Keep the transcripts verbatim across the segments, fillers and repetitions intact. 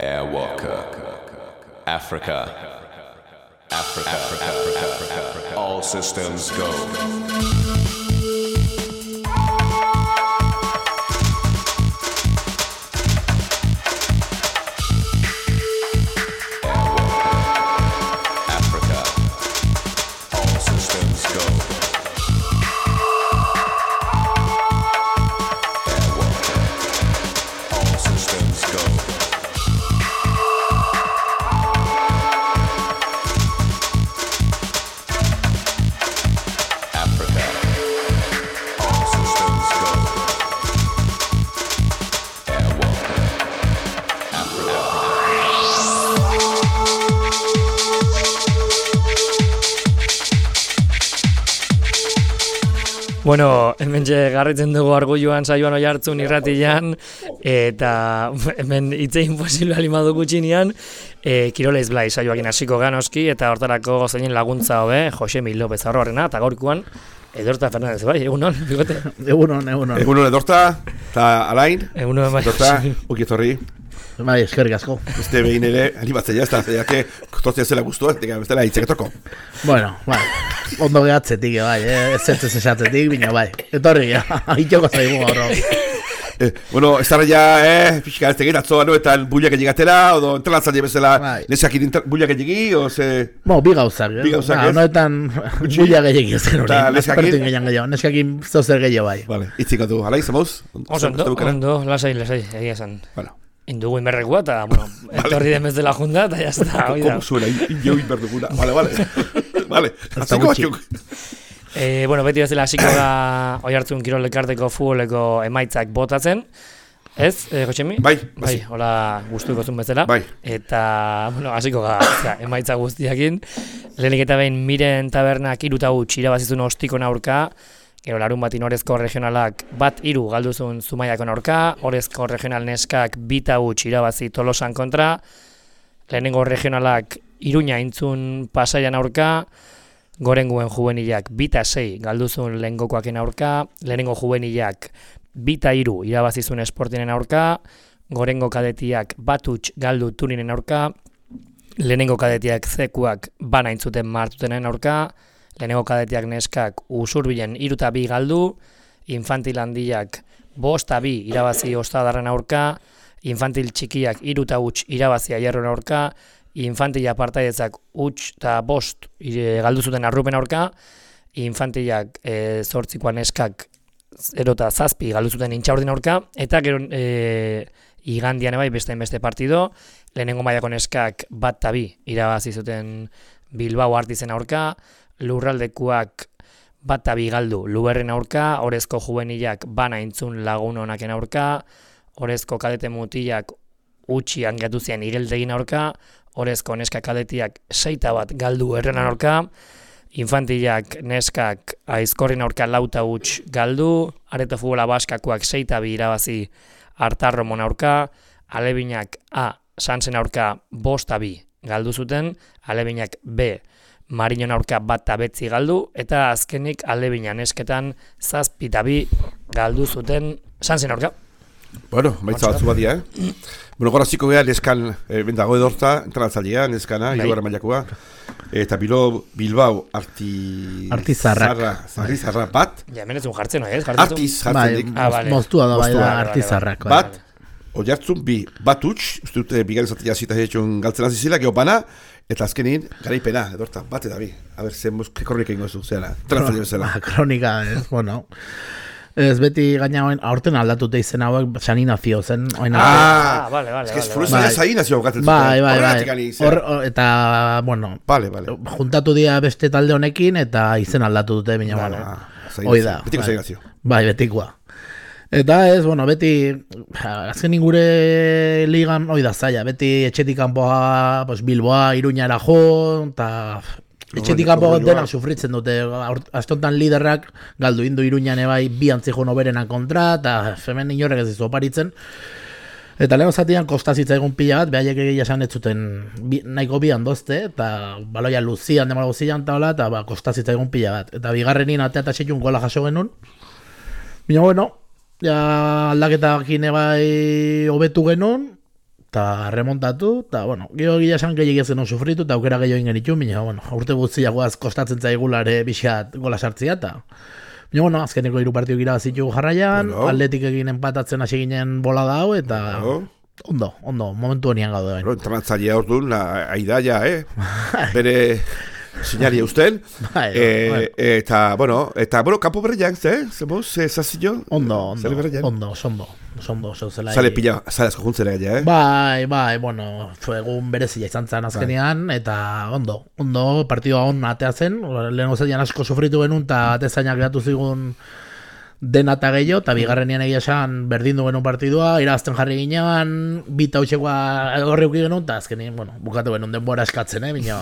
Airwalker, Africa, Africa, Africa, Africa, Africa. All systems go. Bueno, hemen garritzen dugu Argulloan saioan Oiartzun irratian, eta hemen hitzein posible alimadu gutxinean, e, Kiroleiz Blai saioakin hasiko ganoski, eta hortarako zeinen laguntza hobe, Josemi López Arroarena, eta gaurkoan, Edorta Fernandez, bai, egunon, bigote? Egunon, egunon. Egunon Edorta, eta Alain, egunon, bai. Edorta, ukietorri. Bai, eskerrik asko. Este behin ere, animatzea, ez da, zeiake, tortzea zela guztua, ez dela hitzeketorko. Bueno, bai, ondo gehatzetik, bai, eh? ez zentzez esatzetik, bina, bai, etorri, itxoko zaigu gaur. Eh, bueno, ez da ya, eh, pixka ez tegin, atzoa, no, eta buliak egigatera, odo entrelatzan jebezela, bai. Nesakin buliak egigi, o ze... Bo, bi gauzak, eh? Bi gauzak, ez? Noetan buliak egigi ez gen hori, nespertin gehiago gehiago, neskakin zozer gehiago bai. Vale, itziko du, Alain, zamoz? Ondo, ondo, lasai, lasai, egia esan. Bueno. Indugu inberrekua, eta, bueno, etorri demez dela junda, eta jazta, hoi da. Como suena, indio inberduguna. Vale, vale. Vale, hasiko batzuk. Eh, bueno, beti bezala hasiko da Oiartzun Kirol Elkarteko futboleko emaitzak botatzen. Ez, eh, Josemi? Bai, bai. Hola, gustuko zuen bezala. Bai. Eta, bueno, hasiko ga, emaitza guztiakin. Lehenik eta behin Miren Tabernak iruta huts irabazizun ostikon aurka. Gero larun batin Orezko regionalak bat hiru galduzun Zumaiakon aurka, Orezko regional neskak bita huts irabazi Tolosan kontra, lehenengo regionalak Iruña intzun Pasaian aurka, Gorenguen juvenilak bita sei galduzun lehengokoaken aurka, lehenengo juvenilak bita hiru irabazizun Esportinen aurka, Gorengo kadetiak bat huts galdu Tuninen aurka, lehenengo kadetiak zekuak bana intzuten martutenen aurka, lehenengo kadetiak neskak Usurbilen iruta bi galdu, infantil handiak bosta bi irabazi Ostadarren aurka, infantil txikiak iruta huts irabazi Aierron aurka, infantila partaidetzak huts eta bost galdu zuten Arrupen aurka, infantilak e, zortzikoa neskak zero eta zazpi galdu zuten Intxaurdin aurka, eta gero e, igandian bai beste beste partido, lehenengo mailako neskak bat eta bi irabazi zuten Bilbao Artizen aurka, Lurraldekuak bat eta bi galdu Luberren aurka, Orezko juvenilak bana intzun Lagun Onaken aurka, Orezko kadete mutilak utxi angatu zian Igeldegin aurka, Orezko neska kadetiak seita bat galdu Errenan aurka, infantilak neskak Aizkorrin aurka lauta huts galdu, Areto Futbola Baskakoak seita bi irabazi Artarromon aurka, Alebinak A Sansen aurka bosta bi galdu zuten, Alebinak B Marinon aurka bat eta betzi galdu, eta azkenik Alebina nesketan zazpi eta bi galdu zuten Sansen aurka. Bueno, maitza batzu badia, eh? Bueno, gora ziko geha, neskan, eh, bendago Edorta, entranatzailea, neskana, hirugarren mailakoa, eta Bilo, Bilbao, arti... Artizarrak. Artizarrak bat. Ja, hemen ez un jartzen, ez? Artiz jartzen dik. Ah, vale. Moztua da, bai da, Artizarrak. Bat, Oiartzun bi, bat huts, uste dute bigarren zatia zita jetxun galtzen azizila, geho bana, eta azkenin, garaipena, Edorta, bat eta bi. A ber, zen ke kronika ingo zu, zera, entranatzaile bezala. Kronika, ez, bueno... Ez beti gaina hoen, aurten aldatute izen hauek saninazio zen. Ah, vale, vale. Ez que fruizia saninazio gatzen zuten. Bai, bai, bai. Eta, bueno, vale, vale. Juntatu dira beste talde honekin eta izen aldatu dute, bina, vale. Hoi da. Betiko saninazio. Bai, betikoa. Eta ez, bueno, beti, azken ingure ligan, hoi da zaila, beti etxetik kanpoa, pues, Bilboa, Iruñara jo, eta... Etxetik kanpo denak sufritzen dute, astontan liderrak galdu indu Iruñan ebai bi antzijo noberenan kontra, eta hemen inorrek ez dizu oparitzen. Eta lehen zatian kostazitza egun pila bat, behaiek egia esan ez zuten bi, nahiko bi handozte, eta baloia luzian, demara guzian, eta hola, eta ba, kostazitza egun pila bat. Eta bigarrenin atea eta setxun gola jaso genuen. Bina, bueno, ja aldaketakin ebai hobetu genuen, eta remontatu, eta, bueno, gero gila esan gehiagia zen sufritu, eta aukera gehiago ingenitu, baina, bueno, urte guztiagoaz kostatzen zaigulare pixat gola sartzia, eta, baina, bueno, azkeneko hiru partidu irabazitu jarraian, bueno. Atletik egin empatatzen hasi ginen bola da hau, eta, bueno. ondo, ondo, momentu honian gaude bain. Bueno, entrenatzailea orduan, aidaia, eh? Bere sinaria usten. Bai, eh, bai. Eta, bueno, eta, bueno, kampo berriak, ze? Zeboz, ze zazio? Ondo, ondo, Zale berriak? ondo, sondo, sondo, zeu zela. Zale pila, zale asko juntzera gaia, eh? Bai, bai, bueno, egun berezia izan zen azkenean, eta ondo, ondo, partidua on atea zen, lehen gozatian asko sufritu genuen, eta atezainak geratu zigun dena eta gehiago, eta bigarrenean egia esan berdindu genuen partidua, irabazten jarri ginean, bita hautsekoa horri uki genuen, eta azkenean, bueno, bukatu genuen denbora eskatzen, eh, bina,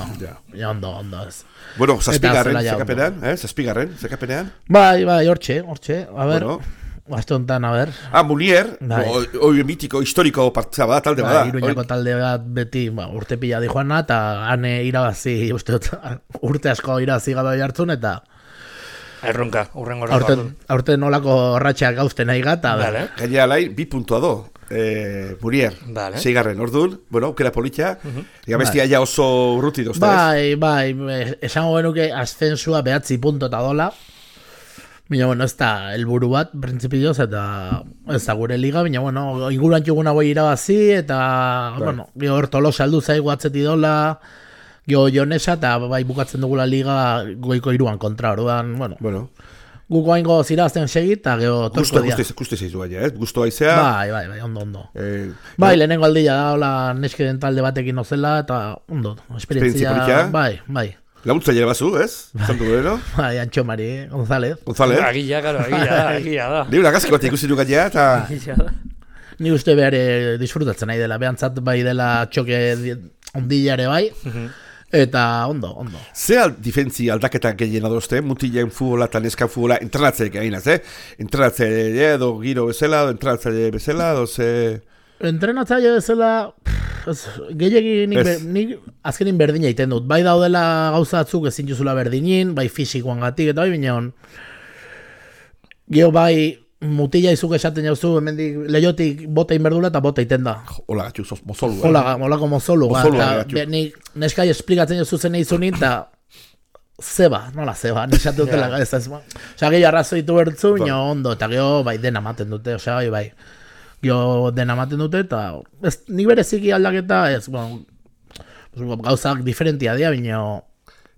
bina ondo, ondo ez. Bueno, zazpigarren, zela ja zekapenean, eh? Zazpigarren, zekapenean. Bai, bai, hortxe, hortxe, a ber, Bueno. aste honetan, a ber. Ah, Munier, Bai. oi mitiko, historiko partzea bada, talde bada. Ba, Iruñako talde bat beti ba, urte pila di joana, eta hane irabazi, uste dut, urte asko irabazi gabe jartzun, eta Erronka, urrengo aurten, aurten nolako ratxeak gauzten nahi gata. Vale. Gainera lai, bi puntua do. Eh, Munier, Vale. seigarren, orduan, bueno, aukera politxa, ega bestia ja oso urruti dozta, Bai, bai, esango genuke ascensua behatzi punto eta dola. Baina, bueno, ez da helburu bat, prinsipioz, eta ez da gure liga, baina, bueno, inguruan txuguna boi irabazi, eta, bueno, gero Tolosa aldu zaigu atzeti dola, gero Jonesa, eta bai bukatzen dugula liga goiko iruan kontra, orduan, bueno, Bueno, guko haingo zirazten segit, eta gero gusto, torko dia. gusto, gusto zeizu gaia, eh? Gusto aizea. Bai, bai, bai, ondo, ondo. Eh, Bai, lehenengo aldia da, hola, neskeden talde batekin ozela, eta ondo, Esperientzia esperientzia, polita. bai, bai, Laguntzaile bazu, ez? Zantu gero. bai, Antxo Mari González. González. Agila, garo, agila da, agila da. Ni una gaziko bat ikusi du gaia, eta... Agila da. Ni uste behar eh, disfrutatzen nahi dela, behantzat bai dela txoke di- ondilare bai, eta ondo, ondo. Ze al, difentzi aldaketa gehien adozte, mutilen futbola eta neskan futbola entrenatzeek eginaz, eh? Entrenatzaile edo giro bezala, edo entrenatzaile bezala, edo ze... Entrenatzaile bezala, pff, ez, gehiagi nik, Ez. ber, nik azkenin berdina egiten dut. Bai daudela gauza batzuk ezin juzula berdinin, bai fisikoan gatik, eta bai bineon. Geo bai mutila izuk esaten jauzu, hemendik leiotik bota inberdula eta bota iten da. Hola, gatxu, sos mozolu, eh? Hola, holako mozolu, Mozolua, eta gatxu. be- nik neskai esplikatzen jauzu zen eizunin, eta zeba, nola zeba, nisatu dutela Ja. ez ez. Osea, gehi arrazoitu bertzu, Bai. baina ondo, eta geho bai dena maten dute, osea, bai, bai. Geho dena maten dute, eta ez, nik bereziki aldaketa, ez, bueno, gauzak diferentia dira, baina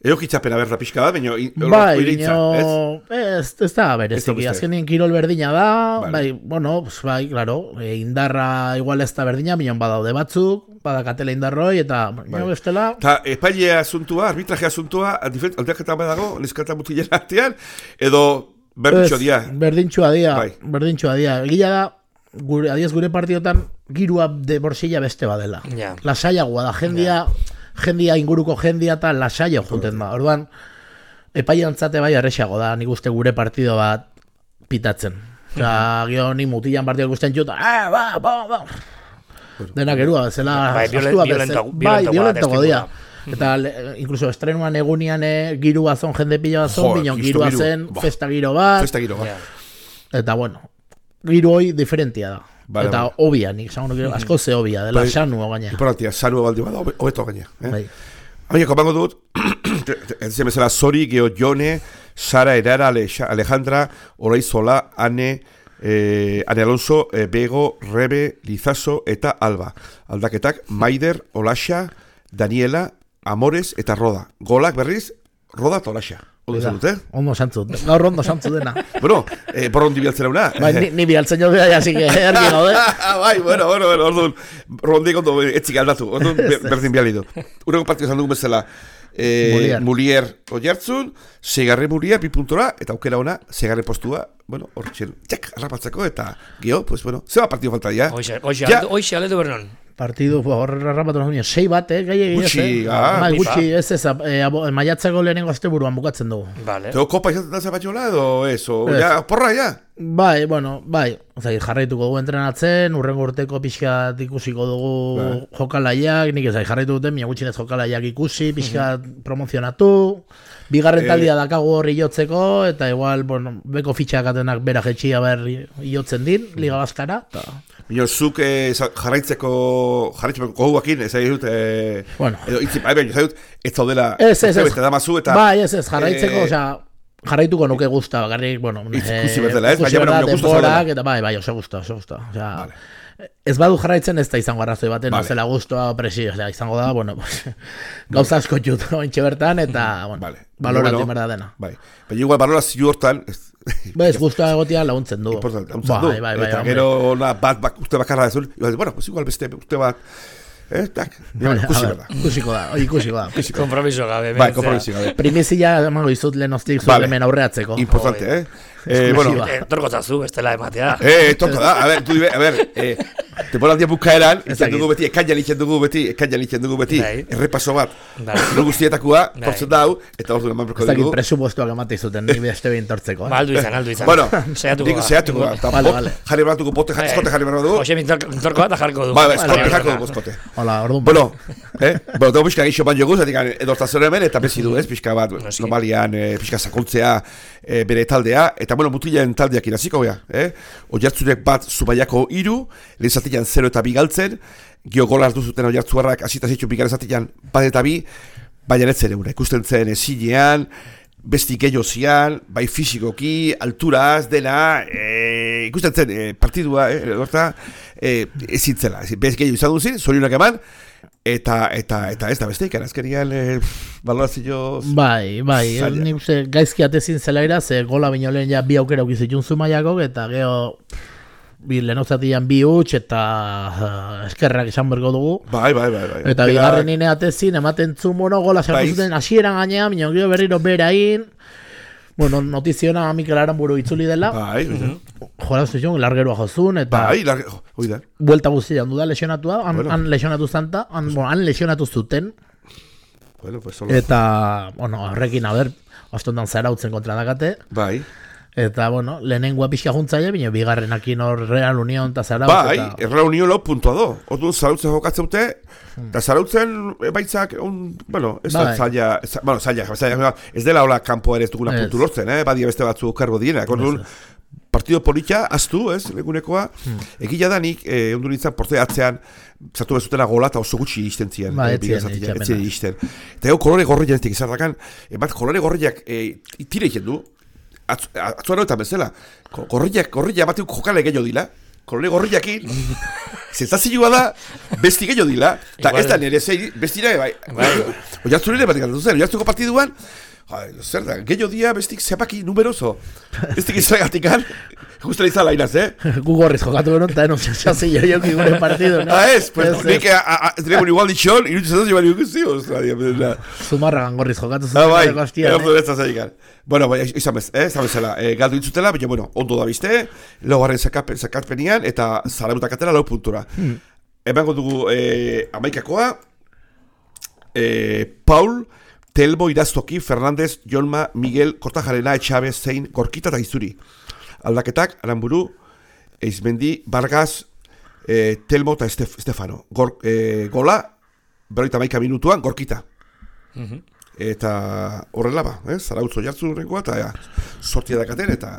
Eokitzapena berda pixka bat, baina... bai, oireitza, ez? baina ez, ez da bereziki, beste. azkenin kirol berdina da, Vale. bai, bueno, pues, bai, claro, e, indarra igual ez da berdina, baina badaude batzuk, badakatela indarroi, eta baina bestela, Eta epailea asuntua, arbitraje asuntua, aldaketa bat dago, neskata mutilen artean, edo berditxo ez, dia. berdintxoa dia, Bai. berdintxoa dia, egila da, gure, adiez gure partiotan, girua de borsilla beste badela. Ja. Lasaiagoa da, jendia, jendia inguruko jendia eta lasaio juten da. Orduan, epaiantzate bai erresago da, nik uste gure partido bat pitatzen. Osea, gio ni mutilan partido ikusten juta, ah, ba, ba, ba. Denak erua, bezala, Bai, violen- astua violenta- bezala. violentagoa Bai, violentago da, dia. Eta le, incluso estrenuan egunian eh, girua zon, jende pila zon, Jo, binon justo girua giru. zen, Bah. festa giro bat, Festa giro, Ja. eta bueno, giro hoi diferentia da. Vale, eta vale. obia, nik esango nuke asko ze obia, dela Bai. sanu gaina. Importantia, sanua baldi bada, hobe- hobeto gaina. Eh? Bai. Baina, kopango dut, ez zen bezala, Zori, Geo, Jone, Sara, Erara, Alexa- Alejandra, Oraizola, Ane, eh, Ane Alonso, eh, Bego, Rebe, Lizaso eta Alba. Aldaketak, Maider, Olaxa, Daniela, Amores eta Roda. Golak berriz, Roda eta Olaxa. Ondo izan dute? Ondo santzu, gaur ondo santzu dena. Bueno, eh, borrondi bialtzera una. Bai, ni, ni bialtzen jo bea, así que ergi gaude. bai, bueno, bueno, bueno, orduan, rondik ondo etzik aldatu, orduan ber- berdin bialidu. Urreko partio izan dugu bezala, eh, Mulier. Mulier oiartzun, segarre Mulier, bi puntora, eta aukera ona, segarre postua, bueno, hor txel, txek, arrapatzeko, eta geho, pues bueno, zeba partio falta ya. Hoxe, hoxe, Ja. aletu- hoxe, aletu bernon. Partidu, hor rapatu nahi, sei bat, eh, gai egia Gutxi, ez, eh? ah, Bai, pipa. gutxi, ez ez, eh, abo- maiatzeko lehenengo asteburuan bukatzen dugu. Vale. Teo kopa izaten da zapatxola, edo ez, o, Ez. ja, porra, ja. Bai, bueno, bai, ozai, jarraituko dugu entrenatzen, urrengo urteko pixkat ikusiko dugu Bai. jokalaiak, nik ezai jarraitu duten, mina gutxinez jokalaiak ikusi, pixkat promozionatu, bigarren taldia dakagu horri jotzeko, eta igual, bueno, beko fitxak atenak bera jetxia ber jotzen din, Liga Baskara, eta... Bino, zuk eh, jarraitzeko, jarraitzeko goguakin, ez dut, eh, bueno. edo itzi, bai, ez dut, ez zaudela, ez, ez, ez, damazu, eta... Bai, ez, ez, jarraitzeko, eh, osea, jarraituko nuke guzta, garrik, bueno, ikusi berdela, ez? Ikusi berdela, denborak, eta bai, bai, oso guzta, oso guzta, osea... Vale. Ez badu jarraitzen ez da izango arrazoi baten, vale. Zela guztua presi, o sea, izango da, bueno, pues, gauza asko txut ointxe bertan, eta, bueno, vale. Baloratu bueno, berda dena. Bai, baina igual balorazio hortan, ba, ez guztua egotia laguntzen du. Importante, laguntzen du. Bai, bai, eta bai, gero, na, bat, bat, uste bakarra dezun, bueno, pues igual beste, uste bat, eh, tak, ikusi berda. Ikusiko da, ikusiko da. Kompromiso gabe. Bai, kompromiso gabe. Primizia, emango izut lehenostik zut hemen aurreatzeko. Importante, eh. Eh, bueno, torko zazu, bestela ematea. Eh, torko da, a ver, tú a ver, eh, temporaldia bukaeran, itzen dugu beti, ekainan itzen dugu beti, ekainan itzen dugu beti, errepaso bat, no guztietakoa, tortzen dau, eta ordu eman berko dugu. Ez dakit presupuestuak emate izuten, ni beste behin tortzeko. Ba, aldu izan, aldu izan. Bueno, seiatuko da. Seiatuko da. Vale, vale. Jarri beratuko bote, eskote jarri beratuko dugu. Jose, mintorko bat, jarriko dugu. Ba, eskote jarko dugu, eskote. Hola, orduan. Bueno, eh, bueno, dugu pixka gixo ban joguz, edortazio hemen, eta bezi du, ez, pixka bat, normalian, pixka sakontzea, bere taldea, eta bueno, mutilen taldeak iraziko gea, eh? Oiartzunek bat Zumaiako hiru, lehen zatian zero eta bi galtzen, gio gola hartu zuten Oiartzuarrak, hasita zitzu bigarren zatian bat eta bi, baina ez zen eure, ikusten zen ezinean, besti gehiago zian, bai fizikoki, alturaz, dena, e, ikusten zen e, partidua, eh, orta, e, ezin zela, bez gehiago izan duzin, zorionak eman, Eta, eta, eta ez da beste ikan, azkenian e, balorazio... Bai, bai, ni uste gaizki atezin zela ira, ze gola bino lehen ja bi aukera ukizitun Zumaiakok, eta geho bi lehenozatian bi huts, eta uh, eskerrak izan bergo dugu. Bai, bai, bai, bai. Eta bigarren ine atezin, ematen zumono, gola sartu zuten hasieran gainean, bino gero berriro berain, bueno, notiziona Mikel Aranburu itzuli dela. Bai, bai. Jola zuzun, largerua jozun, eta... Bai, largerua, oida. Buelta guztia handu da lesionatua, han, bueno. han lesionatu zanta, han, bueno, han lesionatu zuten. Bueno, pues solo... Eta, bueno, horrekin, a ber, ostondan zarautzen kontra dakate. Bai. Eta, bueno, lehenengoa pixka juntzaile, bine, bigarrenakin hor Real Unión eta Zarautz. Bai, eta... Real Unión lau puntua do. Orduan Zarautzen jokatzen dute, eta Zarautzen baitzak, un, bueno, ez da zaila, bueno, zaila, zaila, ez dela hola kanpo ere ez duguna puntu lortzen, eh? Badia beste batzu kargo dienak. Orduan, partido politxa, aztu, ez, legunekoa, hmm. Egila da nik, eh, ondu nintzen, porte atzean, zartu bezutela gola eta oso gutxi izten zian. Ba, etzien, etzien izten. Eta ego kolore gorri janetik izarrakan, bat kolore gorriak eh, tire egiten du, atzuan horretan bezala, gorriak, gorriak batik jokale gehiago dila, kolore gorriakin, zentazioa da, besti gehiago dila, eta ez da nire zei, bestira, bai, oiartzu nire batik antatu zen, oiartzuko partiduan, zer da, gehiago dia bestik zepaki numeroso, bestik izagatik an, justa izala inaz, eh? Gu gorriz jokatu benon, eta enoz jase joiok igure partidu, no? Ah, ez, pues, nik tregun igual ditxon, irutxe zatoz joan ikusti, Zumarragan gorriz jokatu zuten. Ah, bai, erortu ez da zeikan. Bueno, bai, izan bez, eh, izan bezala, eh, galdu intzutela, baina, bueno, ondo da bizte, laugarren zakatpenian, eta Zarautak atera lau puntura. Hmm. Emango dugu eh, amaikakoa, eh, Paul, Telmo, Iraztoki, Fernandez, Jolma, Miguel, Kortajarena, Etxabe, Zein, Gorkita eta Izuri. Aldaketak, Aranburu, Eizmendi, Vargas, eh, Telmo eta Estef, Estefano. Gor, eh, gola, berroita maika minutuan, Gorkita. Mm-hmm. Eta horrela ba, eh? Zarautzo jartzu horrengoa, eta ja, sortia dakaten, eta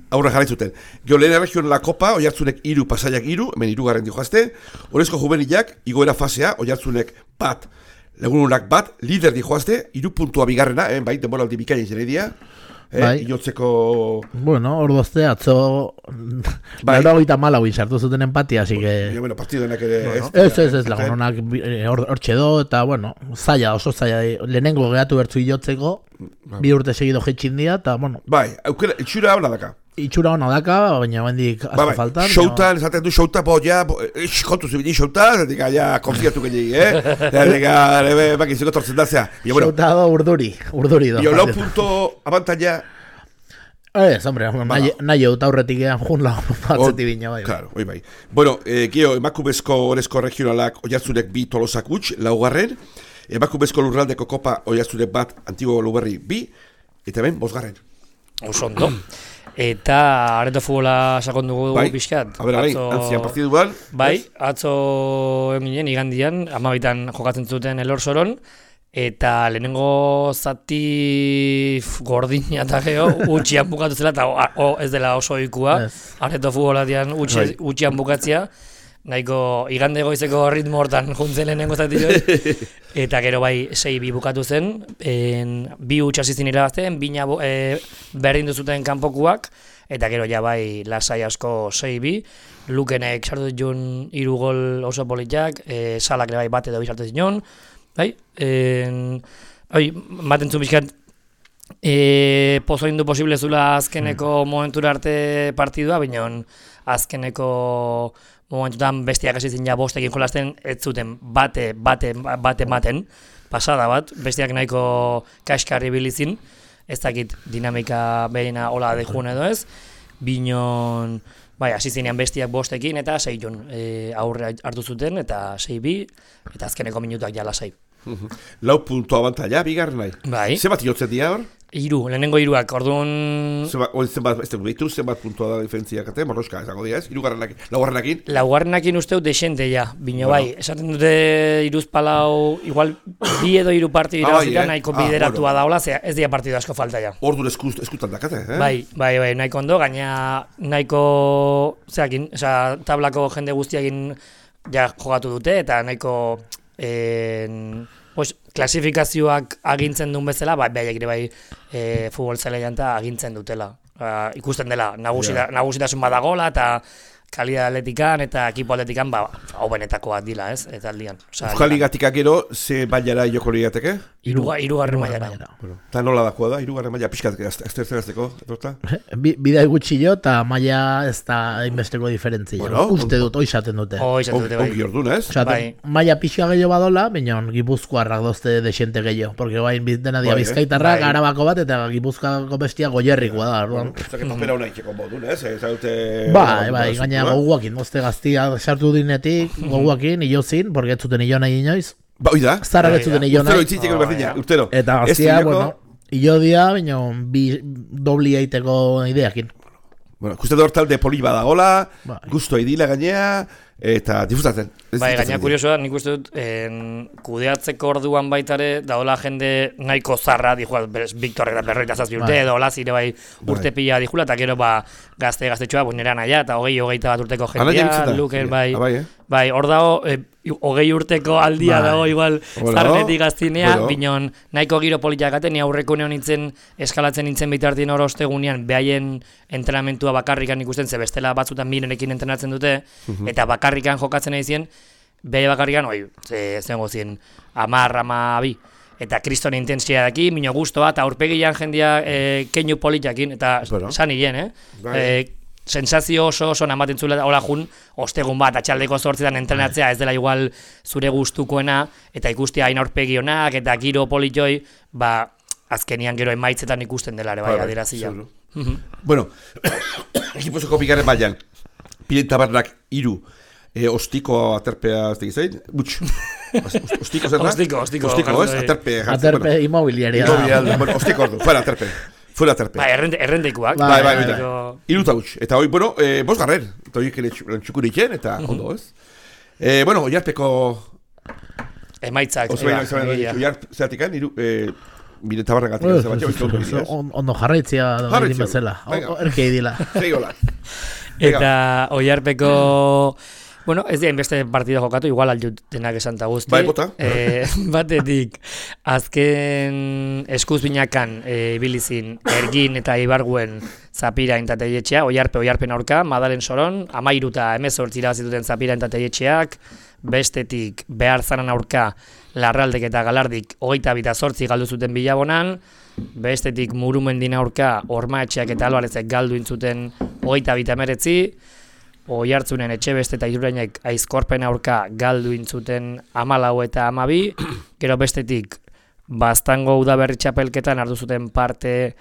aurre jarraitzuten. Gio lehen erregion la kopa, oiartzunek iru, pasaiak iru, hemen irugarren dio jazte, horrezko juvenilak, igoera fasea, oiartzunek bat, legununak bat, lider di joazte, iru puntua bigarrena, eh, bai, denboraldi bikaina izan edia, eh, bai. Inotzeko... Bueno, ordozte, atzo... Bai. Laura goita malau izartu zuten empatia, así que... Bueno, bueno, partidoenak ere... Bueno, ez, ez, ez, lagunonak hor txedo, eta, bueno, zaila, oso zaila, lehenengo gehatu bertzu iotzeko, bai. Bi urte segido jetxindia, eta, bueno... Bai, aukera, itxura hona daka. Itxura hona daka, baina bendik azte ba, bai. faltan. Showtan, esaten du showta, bo, ja, kontu zibini showta, zetik, ja, konfiatu gehiagi, eh? Zetik, baki, ziko tortzen dazea. Showta do urduri, urduri do. Bio, lau punto abantaia... Ez, hombre, nahi eut aurretik ean jun lau batzeti bina, bai. Claro, oi bai. Bueno, eh, gio, emakumezko orezko regionalak oiartzunek bi tolosak utx, laugarren, emakumezko lurraldeko kopa oiartzunek bat antigo luberri bi, eta ben, bosgarren. Osondo. Eta areto futbola sakon dugu bai. Pixkat. A ber, alain, atzo... antzian partiduan. Bai, atzo eginen, igandian, amabitan jokatzen zuten Elorzoron, eta lehenengo zati gordina eta geho, utxian bukatu zela, eta o, o, ez dela oso ikua, Ez. areto futbolatian utxe, utxian bukatzia, nahiko igande goizeko ritmo hortan juntzen lehenengo zati joi, eta gero bai sei bi bukatu zen, en, bi utxasizin irabazten, bina e, berdin duzuten kanpokuak, eta gero ja bai lasai asko sei bi, Lukenek sartu ditun hiru gol oso politak, e, Salak ere bai bat edo bi sartu zinon, bai, en, oi, maten zu bizkat, e, pozo indu posible zula azkeneko mm. momentura arte partidua, baina azkeneko momentutan bestiak hasi zin ja bostekin jolasten, ez zuten bate, bate, bate maten, pasada bat, bestiak nahiko kaskarri bilizin, ez dakit dinamika behina hola dejun edo ez, binon, bai, hasi zinean bestiak bostekin eta sei jon e, aurre hartu zuten eta sei bi, eta azkeneko minutuak jala sei. Lau puntu abantaila, bigarren nahi. Bai. Zenbat jotzen dira hor? Hiru, lehenengo hiruak, orduan... Zenbat, zenbat, ez dugu, zenbat puntua da diferentziak, ate, morroska, esango dira ez? Hirugarrenakin, laugarrenakin? Laugarrenakin usteu desente ja, bino bai, esaten dute iruz palau, igual bi edo hiru partidu Ah, bai, irabazita eh? nahiko Ah, bideratua bueno. daola, zera ez dira partidu asko falta ja. Orduan eskut, eskutan dakate, eh? Bai, bai, bai, nahiko ondo, gaina nahiko, zeakin, oza, tablako jende guztiakin ja jogatu dute, eta nahiko, en, pues, klasifikazioak agintzen duen bezala, bai, behaiek ere bai e, futbol zelaian eta agintzen dutela. Uh, ikusten dela, nagusita, yeah. nagusitasun badagola, eta kalidad atletikan eta ekipo atletikan, ba, hau benetakoak dila, ez, eta aldian. Euskal Ligatik gero, ze bailara joko ligateke? Iruga, irugarren mailara. Bueno, eta nola dakoa da, irugarren maila pixkat, aztertzen azteko, etorta? Bidai gutxi jo, eta maila ez da inbesteko diferentzia. Bueno, uste dut, oizaten dute. Oizaten dute, bai. Ongi ordun, ez? Osea, Bai. maila pixka gehiago badola, baina Gipuzkoarrak dozte desente gehiago. Porque bain dena dia Bai, eh? Bizkaitarrak, Bai. Arabako bat, eta Gipuzkoako bestia goierrikoa da. Orduan. Ez dakit papera hona itxeko modun, ez? Ez dute... Bai, bai, gaina goguakin, mozte gaztia sartu dinetik, goguakin, ilozin, porque ez zuten ilo nahi inoiz. Ba, oida? Zarrak ez zuten ilo Urtero nahi. itzitzeko Oh, berdina, ja. urtero. Eta Ez gaztia, hileko- bueno, ilo dia, baina bi dobli eiteko ideakin. Bueno, ikusten dut talde poli badagola, Bai. gusto idila gainea, eta disfrutatzen. Ez Bai, disfrutatzen gaina dira. kuriosoa, nik uste dut, en, kudeatzeko orduan baitare, daola jende nahiko zarra, dijua, berez, Victor eta berroita zazpi urte, Bai. edo hola zire bai urte pila dijula, eta gero ba, gazte gaztetxoa, pues nera naia, eta hogei, hogeita bat urteko Ana jendia, jaitzen da? Luker, Ah, bai, bai, eh? bai, hor dago, e, hogei urteko aldia Bai. dago, igual, Bueno, zarrenetik gaztinea, bueno. binon, nahiko giro politiakaten, ni aurreko neon nintzen, eskalatzen nintzen bitartien hor ostegunean, behaien entrenamentua bakarrikan ikusten, ze bestela batzutan mirenekin entrenatzen dute, eta bakarrikan jokatzen nahi zien, behaie bakarrikan, oi, ze, zengo zien, amar, ama, bi, eta kriston intensia daki, mino guztoa, eta aurpegian jendia e, keinu politiakin, eta Bueno. san hilen, eh? Bai. E, sensazio oso oso namaten zula hola jun, ostegun bat, atxaldeko zortzetan entrenatzea, ez dela igual zure gustukoena, eta ikustea hain aurpegi onak, eta giro politoi, ba, azkenian gero emaitzetan ikusten dela ere, bai, Bai, bai, adierazia. seguro. Bueno, ekipozoko bigarren bailan, Piren Tabernak hiru, e, ostiko aterpea ez digizein, butx, ostiko zerra? Ostiko, ostiko, Ostiko, ez, jartzen, aterpe. jartzen, Aterpe bueno. immobiliaria. Imobiliaria, bueno, ostiko ordu, fuera aterpe, fuera aterpe. Bai, errende, errendeikuak. Bai, Bai, bai, bai, bai. Gero- Hiru eta huts. Eta hoi, bueno, eh, bos garren. Eta horiek ere txukuriken, eta ondo, ez? Eh, bueno, oiarpeko... Emaitzak. Oso baina, eba, egia. oiarp zeratikan, hiru... Eh, Mire tabarregatik, Bueno, ez batxe, oizko ondo oso- ez? on- Ondo jarraitzia da Jarraitzia, egin bezala. venga. O- Erkei dila. Sei golak. Eta oiarpeko... Bueno, ez dira inbeste partida jokatu, igual aldut denak esan ta guzti. Bai, bota. Eh, batetik, azken eskuz binakan e, bilizin Ergin eta Ibarguen Zapirain eta Teietxea, oiarpe oiarpen aurka, Madalen Soron, amairu eta emezortzi irabazituten Zapirain eta Teietxeak, bestetik behar zanan aurka Larraldek eta Galardik hogeita bita zortzi galdu zuten Bilabonan, bestetik Murumendin aurka Ormaetxeak eta Albarezek galdu intzuten hogeita bita emeretzi, Oiartzunen Etxebeste eta Irurainek Aizkorpen aurka galdu intzuten hamalau eta hamabi, gero bestetik Baztango udaberri txapelketan hartu zuten parte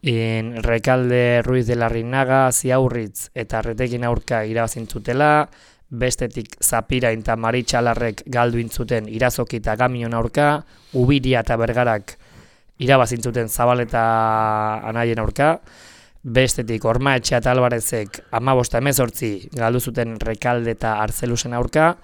in Rekalde Ruiz de Larrinaga, Ziaurritz eta Retekin aurka irabazintzutela, bestetik Zapirain eta Maritxalarrek galdu intzuten Irazoki eta Gamion aurka, Ubiria eta Bergarak irabazintzuten Zabaleta anaien aurka, bestetik Ormaetxea eta Albarezek hamabost hemezortzi galdu zuten Rekalde eta Arzelusen aurka,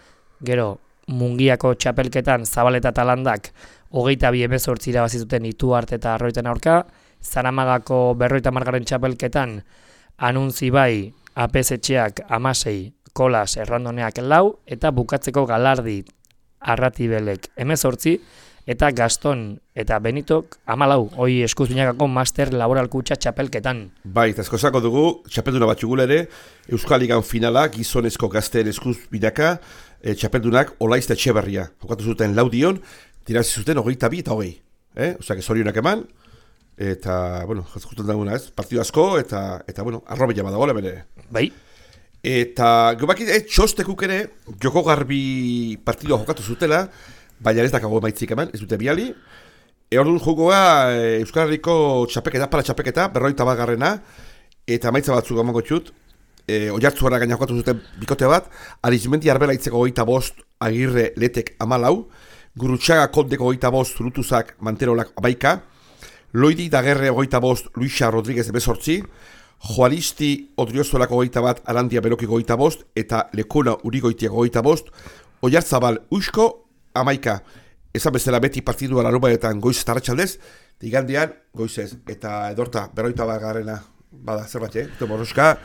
gero Mungiako txapelketan Zabaleta eta Landak hogeita bi hemezortzi irabazi zuten Ituarte eta Arroiten aurka, Zaramagako berroita margarren txapelketan Anuntzi bai, Apesetxeak amasei, Kolas errandoneak lau, eta bukatzeko Galardi Arratibelek hemezortzi, eta Gaston eta Benitok amalau, hoi eskuzbinakako master laboral kutxa txapelketan. Bai, eta eskozako dugu, txapelduna batxugula ere, Euskal Ligan finala, gizonezko gazteen eskuzbinaka, e, txapeldunak Olaizta Etxeberria. Jokatu zuten laudion, tirazi zuten hogeita bi eta hogei. Eh? Osa, zorionak eman, eta, bueno, jazkusten daguna ez, partidu asko, eta, eta bueno, arrobila badagoela bere. Bai. Eta, gobakit, eh, txostekuk ere, joko garbi partidua jokatu zutela, baina ez dakago maitzik eman, ez dute biali. E orduan jokoa e, Euskal Herriko txapeketa, para txapeketa, berroita bat garrena, eta maitza batzuk emango txut, e, oiartzuara gaina jokatu zuten bikote bat, Arizmendi Arbela itzeko hogeita bost, Agirre Letek amalau, Gurutxaga Kondeko hogeita bost, Zurutuzak Manterolak abaika, Loidi Dagerre hogeita bost, Luisa Rodríguez emezortzi, Joalisti Odriozolako hogeita bat, Arandia Berokiko hogeita bost, eta Lekona Urigoitiako hogeita bost, Oiartzabal Usko amaika. Ezan bezala beti partidua larubaetan goiz eta arratsaldez, igandean goizez, eta edorta berroita bat garrena, bada zerbait, eh? Eta borroska,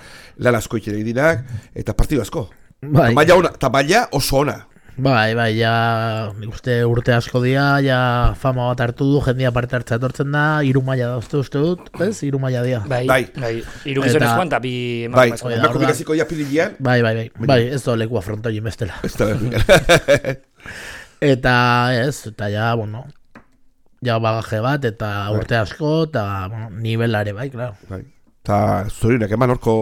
lan asko itxere dinak, eta partidu asko. Bai. Eta maila oso ona. Bai, bai, ja, nik uste urte asko dira, ja fama bat hartu du, jendia parte hartza etortzen da, hiru maila da uste uste dut, ez? Hiru maila dira. Bai, bai. bai. Hiru gizonez joan, eta bi bai, emakumezko. bai, emakume gaziko ja pililean. Bai, bai, bai, bai, ez da leku afrontoi bestela. Ez da, Eta ez, eta ja, bueno, ja bagaje bat, eta urte asko, eta bueno, nivelare bai, claro. Bai. Eta zorionak eman horko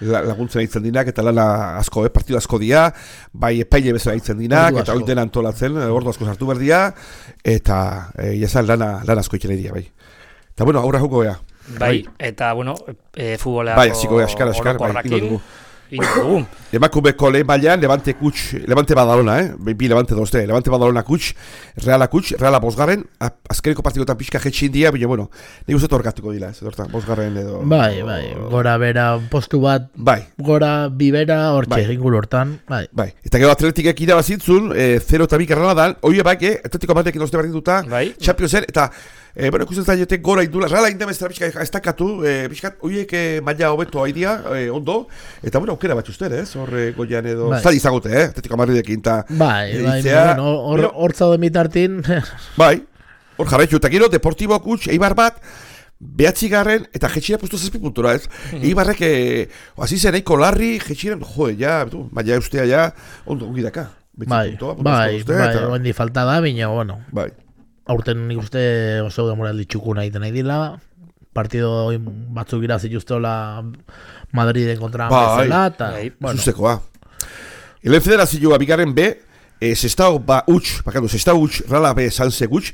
laguntzen aitzen dinak, eta lana asko, eh, partidu asko dia, bai epaile bezala aitzen dinak, eta hori dena antolatzen, ordu asko sartu berdia, eta e, jazan lana, lana asko itxene dia, bai. Eta bueno, aurra joko ea. Bai, eta bueno, e, futboleako bai, ziko ea, eskar, eskar, bai, ino dugu. Dugu. Emakumeko lehen bailan, Levante kutx, Levante Badalona, eh? Bi Levante dozte, Levante Badalona kutx, Reala kutx, Reala bosgarren, azkeneko partidotan pixka jetxin dia, baina, bueno, nik uste torgatuko dila, ez, dorta, bosgarren edo... Bai, bai, gora bera, postu bat, bai. Gora bibera, hortxe, bai. Inguru hortan, bai. Bai, eta gero Atletikek irabazitzun, e, zero eta bi Granadan, oie bai, eh? Atletiko batekin dozte berdinduta, bai. Championsen, eta... E, bueno, ikusten zaiote gora indula, Reala indemezera pixka estakatu, e, pixka, oiek e, maila hobeto haidia, e, ondo, eta bueno, aukera bat usten, ez, hor goian edo, bai. Zadi izagote, eh, Atletiko Madridekin, eta... Bai, bai, bueno, hor, hor zaude mitartin... Bai, hor jarraitu, eta gero, Deportibo kutx, Eibar bat, behatzigarren, eta jetxira puesto zazpi puntura, ez? Mm-hmm. Eibarrek, e, hasi zen, eiko larri, jetxira, joe, ja, tu, maila eustea, ja, ondo, ongi daka. Bai, puntua, bai, bai, bai, ondi falta da, bina, bueno. Bai. Aurten nik uste oso demoraldi txukuna egiten nahi dila, partido batzuk irazi justola Madriden kontra bezala, eta, bueno. Zuzekoa. Helen federazioa bigarren B, e, Sestao ba utx, bakatu, Sestao utx, Rala B, Sanse gutx,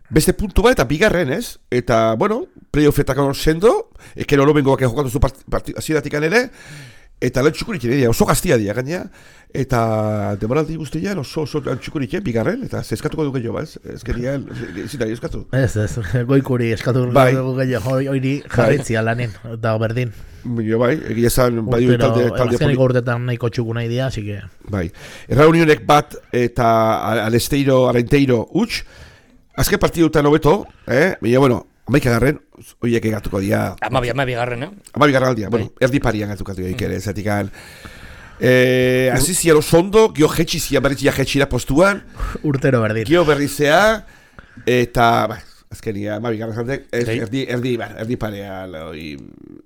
beste puntu bat eta bigarren, ez? Eta, bueno, playoffetak sendo, ekero lo bengoak jokatu zu partidatikan ere, eta lan txukurik ere, oso gaztia dira gaina, eta demoraldi guztian oso oso lan txukurik bigarren, eta zeskatuko du gehiago, ez? Ez gerian, zitari eskatu. Ez, ez, goikuri eskatu bai. Du gehiago, hori jarritzia bai. Lanen, eta berdin. Jo, bai, egia esan, bai, talde... Azkeniko urtetan nahiko txukuna idea, así que... Bai, erra unionek bat eta Alesteiro, Arenteiro utx, azken partidutan hobeto, eh? Baina, bueno, amaika garren, horiek egatuko dira... Amabi, amabi garren, eh? Amabi garren aldia, bueno, erdi parian gatukatu dira ikere, zatikan... Eh, Azizian oso ondo, gio jetxizia berritzia jetxira postuan... Urtero berdin. Gio berrizea, eta... Ba, azkenia, amabi garren zantek, erdi, erdi, ba, erdi parean...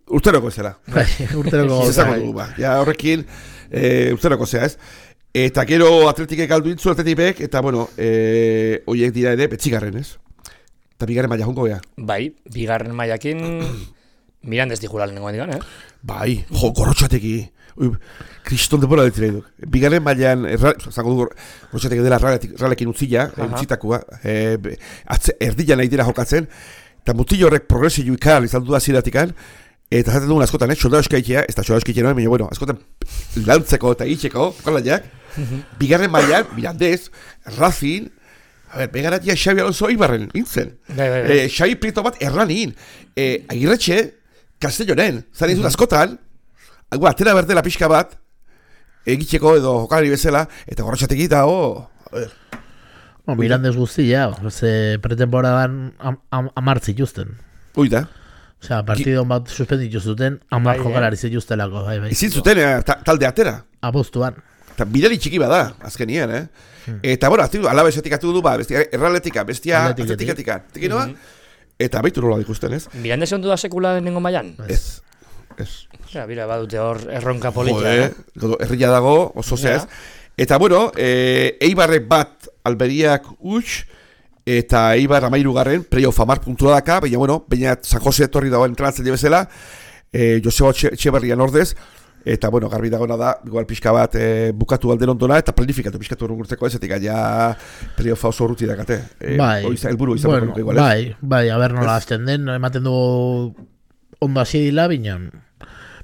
Urteroko zela. Bai, urteroko zela. Ba, ja, horrekin, eh, urteroko zela, ez? Eta gero atletikek galdu intzu, atletipek, eta, bueno, eh, horiek dira ere, betzigarren, ez? Eta bigarren maila jongo, ja? Bai, bigarren mailakin Mirandes dijura lehenengo digan, eh? Bai, jo, gorrotxateki. Kriston depora ditzera eduk. Bigarren mailan, zango du, gorrotxateki dela ralekin utzila, utzitakoa, e, erdila nahi dira jokatzen, eta mutillo horrek progresio ikar izan du da ziratikan, eta zaten dugun askotan, eh, soldado eskaitea, ez da soldado eskaitea noen, baina, bueno, askotan lantzeko eta itxeko, jokalaiak, bigarren mailan, Mirandez, Racing, a ber, begaratia Xabi Alonso Ibarren, nintzen. Eh, Xabi Prieto bat erranin. Eh, Agirretxe, Castellonen, zaren izut askotan, Agua, atera berdela pixka bat, egiteko edo jokalari bezala, eta gorrotxateki da, oh, a ver. Bueno, Mirandez guztia, ze pretemporadan am, am, amar zituzten. Ui da. Osea, partidon bat suspenditu zuten, amar Bai, jokalari zituztelako, bai, bai. Ezin zuten eh, ta, talde atera. Apostuan. Eta bidali txiki bada, azkenien, eh? Hmm. Eta, bueno, azte du, alabesetik atu du, ba, bestia erraletika, bestia Atletiketik. atletikatika. Tikinoa? Eta baitu nola ikusten, ez? Mirandez ondu da sekula denengo mailan? Ez. Ez. Ja, bira, badute hor erronka polita. Jode, godo, herria dago, oso zehaz. Eta, bueno, e, Eibarrek bat Alberiak huts, eta Eibar amairu garren, playoff amar puntua daka, baina, bueno, baina San Jose etorri dagoen entrenatzaile bezala, e, Joseba Etxeberrian ordez, eta, bueno, garbi dagoena da, igual pixka bat e, bukatu alden ondona, eta planifikatu pixkatu urgurtzeko ez, etik gaia playoffa oso urruti dakate. E, Bai, oiza, elburu izan bueno, igual, ez? bai, bai, a ber nola azten den, ematen du ondo hasi dila, bineon,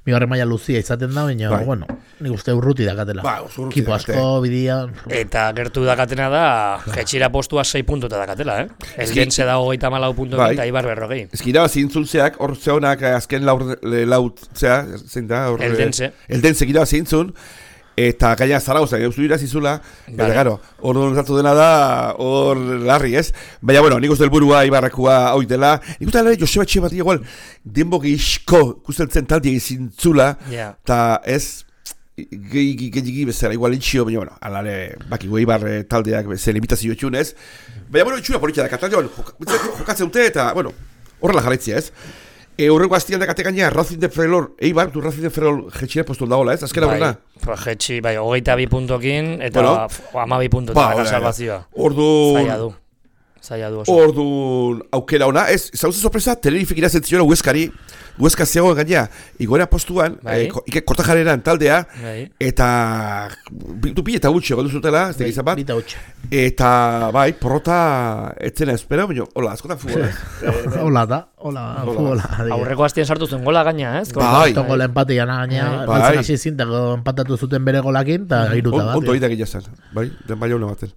bigarren maila luzia izaten da, baina, Bai. bueno, nik uste urruti dakatela. Ba, oso urruti Kipo dakate. asko, bidia... Eta gertu dakatena da, jetxira postua sei puntuta dakatela, eh? Eldense da hogeita malau puntu Bai. eta Ibar berrogei. Ez gira, zintzultzeak, hor zehonak azken laur, laut, zea, zein da? Hor, Eldense. Eldense gira zintzun, eta gaina Zaragoza, gauzu irazizula, eta Vale. gero, hor donzatu dena da, hor larri, ez? Baina, bueno, nik uste helburua Ibarrakua hoi dela, nik uste dela Joseba Etxeberria igual, denbo gehizko, ikusten taldi egizintzula, Ja. eta ez, gehi bezala, igual itxio, baina, bueno, alare, baki gu Eibar eh, taldeak zen limitazio etxunez, baina, bueno, itxura politia da, kataldean, jokatzen dute, eta, bueno, horrela jarraitzia, ez? E, horreko aztian dakate gaina, Racing de Ferrol, Eibar, du Racing de Ferrol jetxira postuen dagoela, ez? Azkera horrela? Bai, jetxi, bai, hogeita bi puntokin, eta Bueno. bueno, ama bi puntokin, Ba, ba, bai, bai. salvazioa. Orduan, Zaila du. Zaila du oso. orduan, aukera ona, ez, zauze sorpresa, Tenerifek irazentzioa Hueskari, Hueska zegoen gaina, igoera postuan, Bai. eh, ko- ike kortajareran taldea, Bai. eta du pi eta gutxi goldu zutela, ez da izan bat, Bita hutsa. eta bai, porrota etzena espero, baina, hola, askotan futbola. Hola da, hola, Hola. futbola. Aurreko aztien sartu zen gola gaina, ez? Bai. Tongo le empate jana gaina, Bai. galtzen hasi zintako empatatu zuten bere golakin, eta iruta bat. Ondo egiten gila zen, bai, den baina una baten.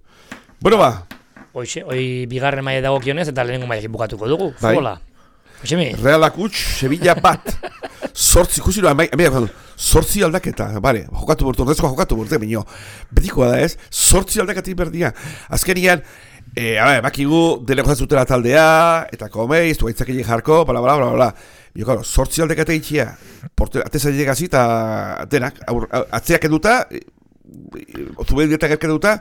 Bueno, ba, Hoxe, hoi bigarren maila dagokionez eta lehenengo mailekin bukatuko dugu, Bai. futbola. Hoxemi, Realak huts, Sevilla bat, sortzi, ikusi noa, sortzi aldaketa, bale, jokatu bortu, ordezkoa jokatu bortu, bineo, betikoa da ez, sortzi aldakatik berdia. Azkenian, e, a ber, bakigu, dene gozatzutela taldea, eta komeiz, tu gaitzakile jarko, bla, bla, bla, bla, bla. Bio, claro, sortzi aldaketa itxia, atezaile gazi eta denak, aur, atzeak eduta, ozubel dietak erkeduta,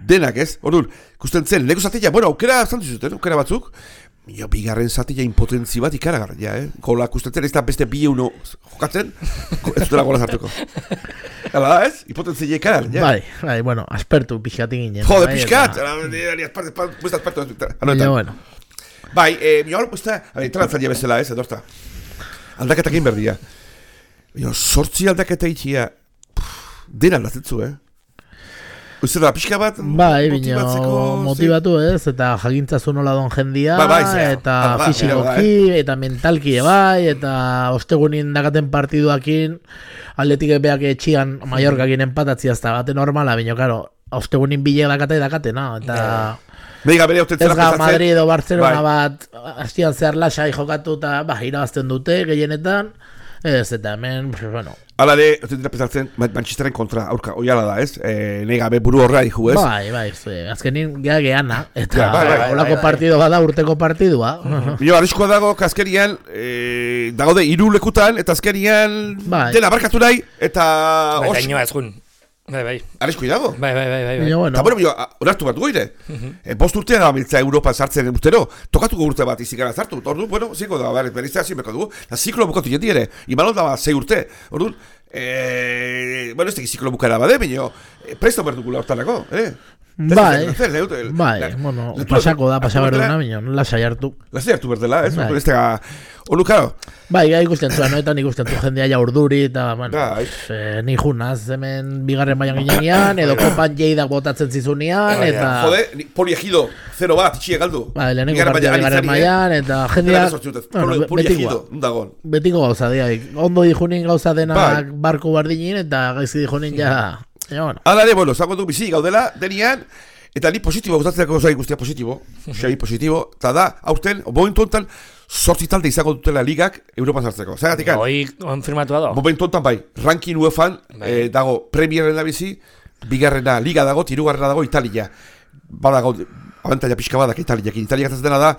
denak ez, orduan, ikusten zen, lego zatia, bueno, aukera zantu zuten, aukera batzuk, jo, bigarren zatia impotentzi bat ikaragarria, eh? Gola ikusten zen, ez da beste bi uno jokatzen, ez dutela gola zartuko. Hala da, ez? Impotentzi ikaragarria. Bai, bai, bueno, aspertu pixkatik ginen. Jode, bai, pixkat! eta- Puesta asperto. Baina, bueno, Bai, eh, mi hor puesta, a ver, entrantzailea bezala, ez, edorta. Aldaketakin berdia. Baina, sortzi aldaketa itxia, den aldatzen zu, eh? Uste da, pixka bat, bai, bino, motibatzeko, motivatu ez, eta jakintzazu nola don jendia, Ba, bai, zera, eta hala da, fisikoki, eta mentalki bai, eta ostegunin dakaten partiduakin, atletik beak etxian Mallorcakin empatatzia ez da bate normala, bino, karo, ostegunin bile dakate dakate, no? Eta... Meiga bere hautzen Ez zela ga pesatzen. Madrid edo Barcelona Bai. bat hastian zehar lasai jokatu eta ba, irabazten dute gehienetan. Ez, eta hemen, pues, bueno, Hala ere, hautzen dira pesatzen, Manchesteren kontra, aurka, oiala da, ez? E, Nei gabe buru horra dihu, ez? bai, bai, zue, azkenin gea geana, eta Ja, bai, bai, olako bai, bai. partido bada urteko partidua. Bino, arriskoa dago, azkenian, e, dago de hiru lekutan, eta azkenian Bai. dena barkatu nahi, eta bai, os, gainoa ez jun. Bai, bai, arriskoi dago. bai, bai, bai, bai, bai. Baina, bueno, Eta bueno, bino, onartu bat goire. E, bost urtea da miltza Europa sartzen urtero, tokatuko urte bat izikara sartu. Orduan, bueno, ziko da, ber, beriztea zinbeko dugu. Da, ziklo bukatu jendi ere, imalon da, zei urte. Orduan, e, bueno, ez teki ziklo bukara bade, bino, e, presto berdukula hortarako, eh? bai, Zer, zer, zer, bai, bueno, pasako da, pasa berduna, bino, lasai hartu. Lasai hartu berdela, ez? Bai. Orduan, ez tega, onu, karo, Bai, gai ikusten zuen, noetan ikusten zuen jendea ja urduri, eta, bueno, Bai. eh, ni junaz, hemen bigarren baian ginean, edo kopan jeidak botatzen zizunean, Bai, eta... jode, ni- poli egido, zero bat, itxie galdu. Bai, lehenengo Bigarren partida maila- bigarren anitzari, eh? mailan, eta Bigarren jendea... sortzi urtez, bueno, poli- poli betikoa. egido, undagon. Betiko gauza, diaik. Ondo dijunin gauza denak Bai. barku bardinin, eta gaizki dijunin ja... Ja, bueno. Hala ere, bueno, zango du bizi gaudela, denian, eta ni positibo, gustatzeko gauza guztia positibo, xai positibo, eta da, aurten, momentu hontan, sortzi talde izango dutela ligak Europan sartzeko. Zagatik, Hoi konfirmatua da. momentu hontan bai, ranking UEFan Bai. eh, dago Premierren da bizi, bigarrena Liga dago, hirugarrena dago Italia. bada gaud, abantaila pixka badak Italiakin. Italiak ez dena da,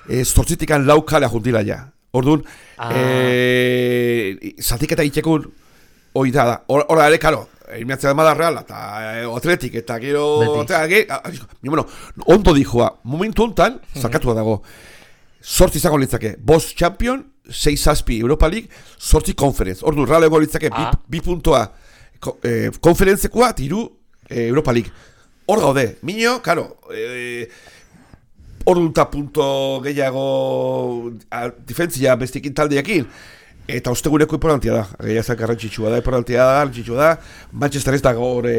e, zortzitikan lau kalea juntila ja. Orduan, ah. e, zatiketa itekun, hoi da da. Hora ere, karo, eliminatzea da Real, eta e, Atletik, eta gero... Eta, ge, a, a, bueno, ondo dijoa, momentu hontan, zarkatua dago, zortzi izango litzake, bost champion, sei zazpi Europa League, zortzi conference. Orduan, Real ego litzake, ah. bi, bi puntua e, konferentzekoa, tiru e, Europa League. Hor gaude, minio, karo, e, orduta punto gehiago difentzia bestikin taldeakin, eta osteguneko importantia da, gehiazak garrantzitsua da, importantia da, garrantzitsua da, Manchester ez da gore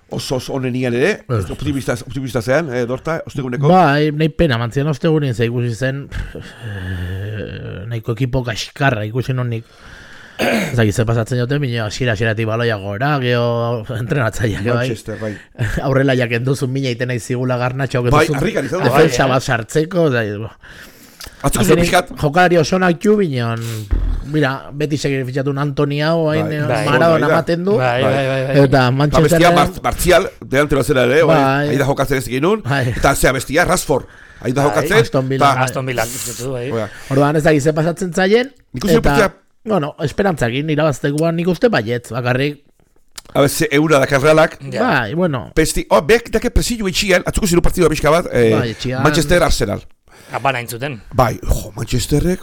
oso oso onenian ere, optimista, optimista zean, eh, Dorta, osteguneko. Ba, nahi pena, mantzian ostegunin ze ikusi zen, nahiko ekipo kaskarra ikusi nonik. Zaki, ze pasatzen jote, minio, xira-xiratik baloia gora, geho entrenatzaiak, bai. Manchester, bai. Aurrela jaken duzun mina iten nahi zigula garnatxo, bai, harrikan izan da. Defensa bat sartzeko, da, Atzuko zuen pixkat. Jokalari osonak ju bineon, mira, beti segir fitxatun Antoni hau, hain Maradona ematen du, eta Manchester... Bestia Martial, delantero zera ere, hain da jokatzen ez eginun, eta zea bestia, Rashford, hain da jokatzen, Aston Villa, Aston Villa, orduan ez da gize pasatzen zaien, eta... Bueno, esperantzakin, irabaztekoan nik uste baietz, bakarrik... A ver, eura da karrealak... Bai, bueno... Pesti, oh, behak dake presillo itxian, atzuko ziru partidu pixka bat, eh, Manchester Arsenal. Apana intzuten. Bai, jo, Manchesterrek,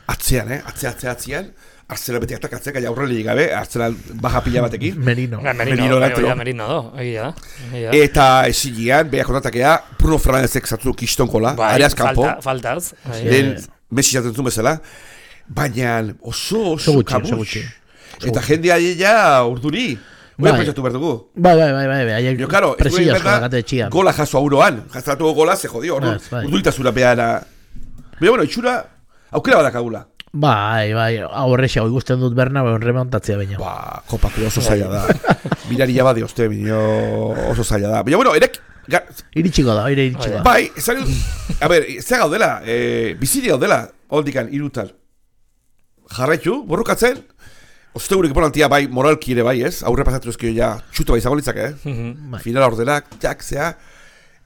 atzean, eh, atzea, atzea, atzean, Arsenal beti atakatzeak, gaia aurreli gabe, Arsenal baja pila batekin. Merino. Ja, Merino, Merino, Merino do, egia da. Eta esigian, behak kontatakea, Bruno Fernandezek zatzu kistonkola, bai, areaz kampo. Faltaz. Den, Messi jaten zuen bezala. Baina oso, oso kabuz. Eta jendea ja urduri. Bai pentsatu behar dugu. Bai, bai, bai, bai, bai. Yo, claro, gola jaso auroan. Jaztatu gola, ze jodio. Urduritazura behara. Baina, bueno, itxura, aukera badakagula. Bai, bai, aurrexa, hoi guztien dut berna, bai, remontatzea baina. Ba, kopatu oso zaila da. Mirari jabade oste, bineo, oso zaila da. Baina, bueno, erek... Iritxiko da, ire iritxiko da. Bai, zari... A ber, ze gaudela, biziri gaudela, holdikan, irutal. Jarraitu, borrukatzen, ostegurik importantia bai, moralki ere bai, ez? Aurre pasatu ezkio ja, txuto bai zagolitzak, eh? Mm-hmm. Finala ordenak, jak, zea,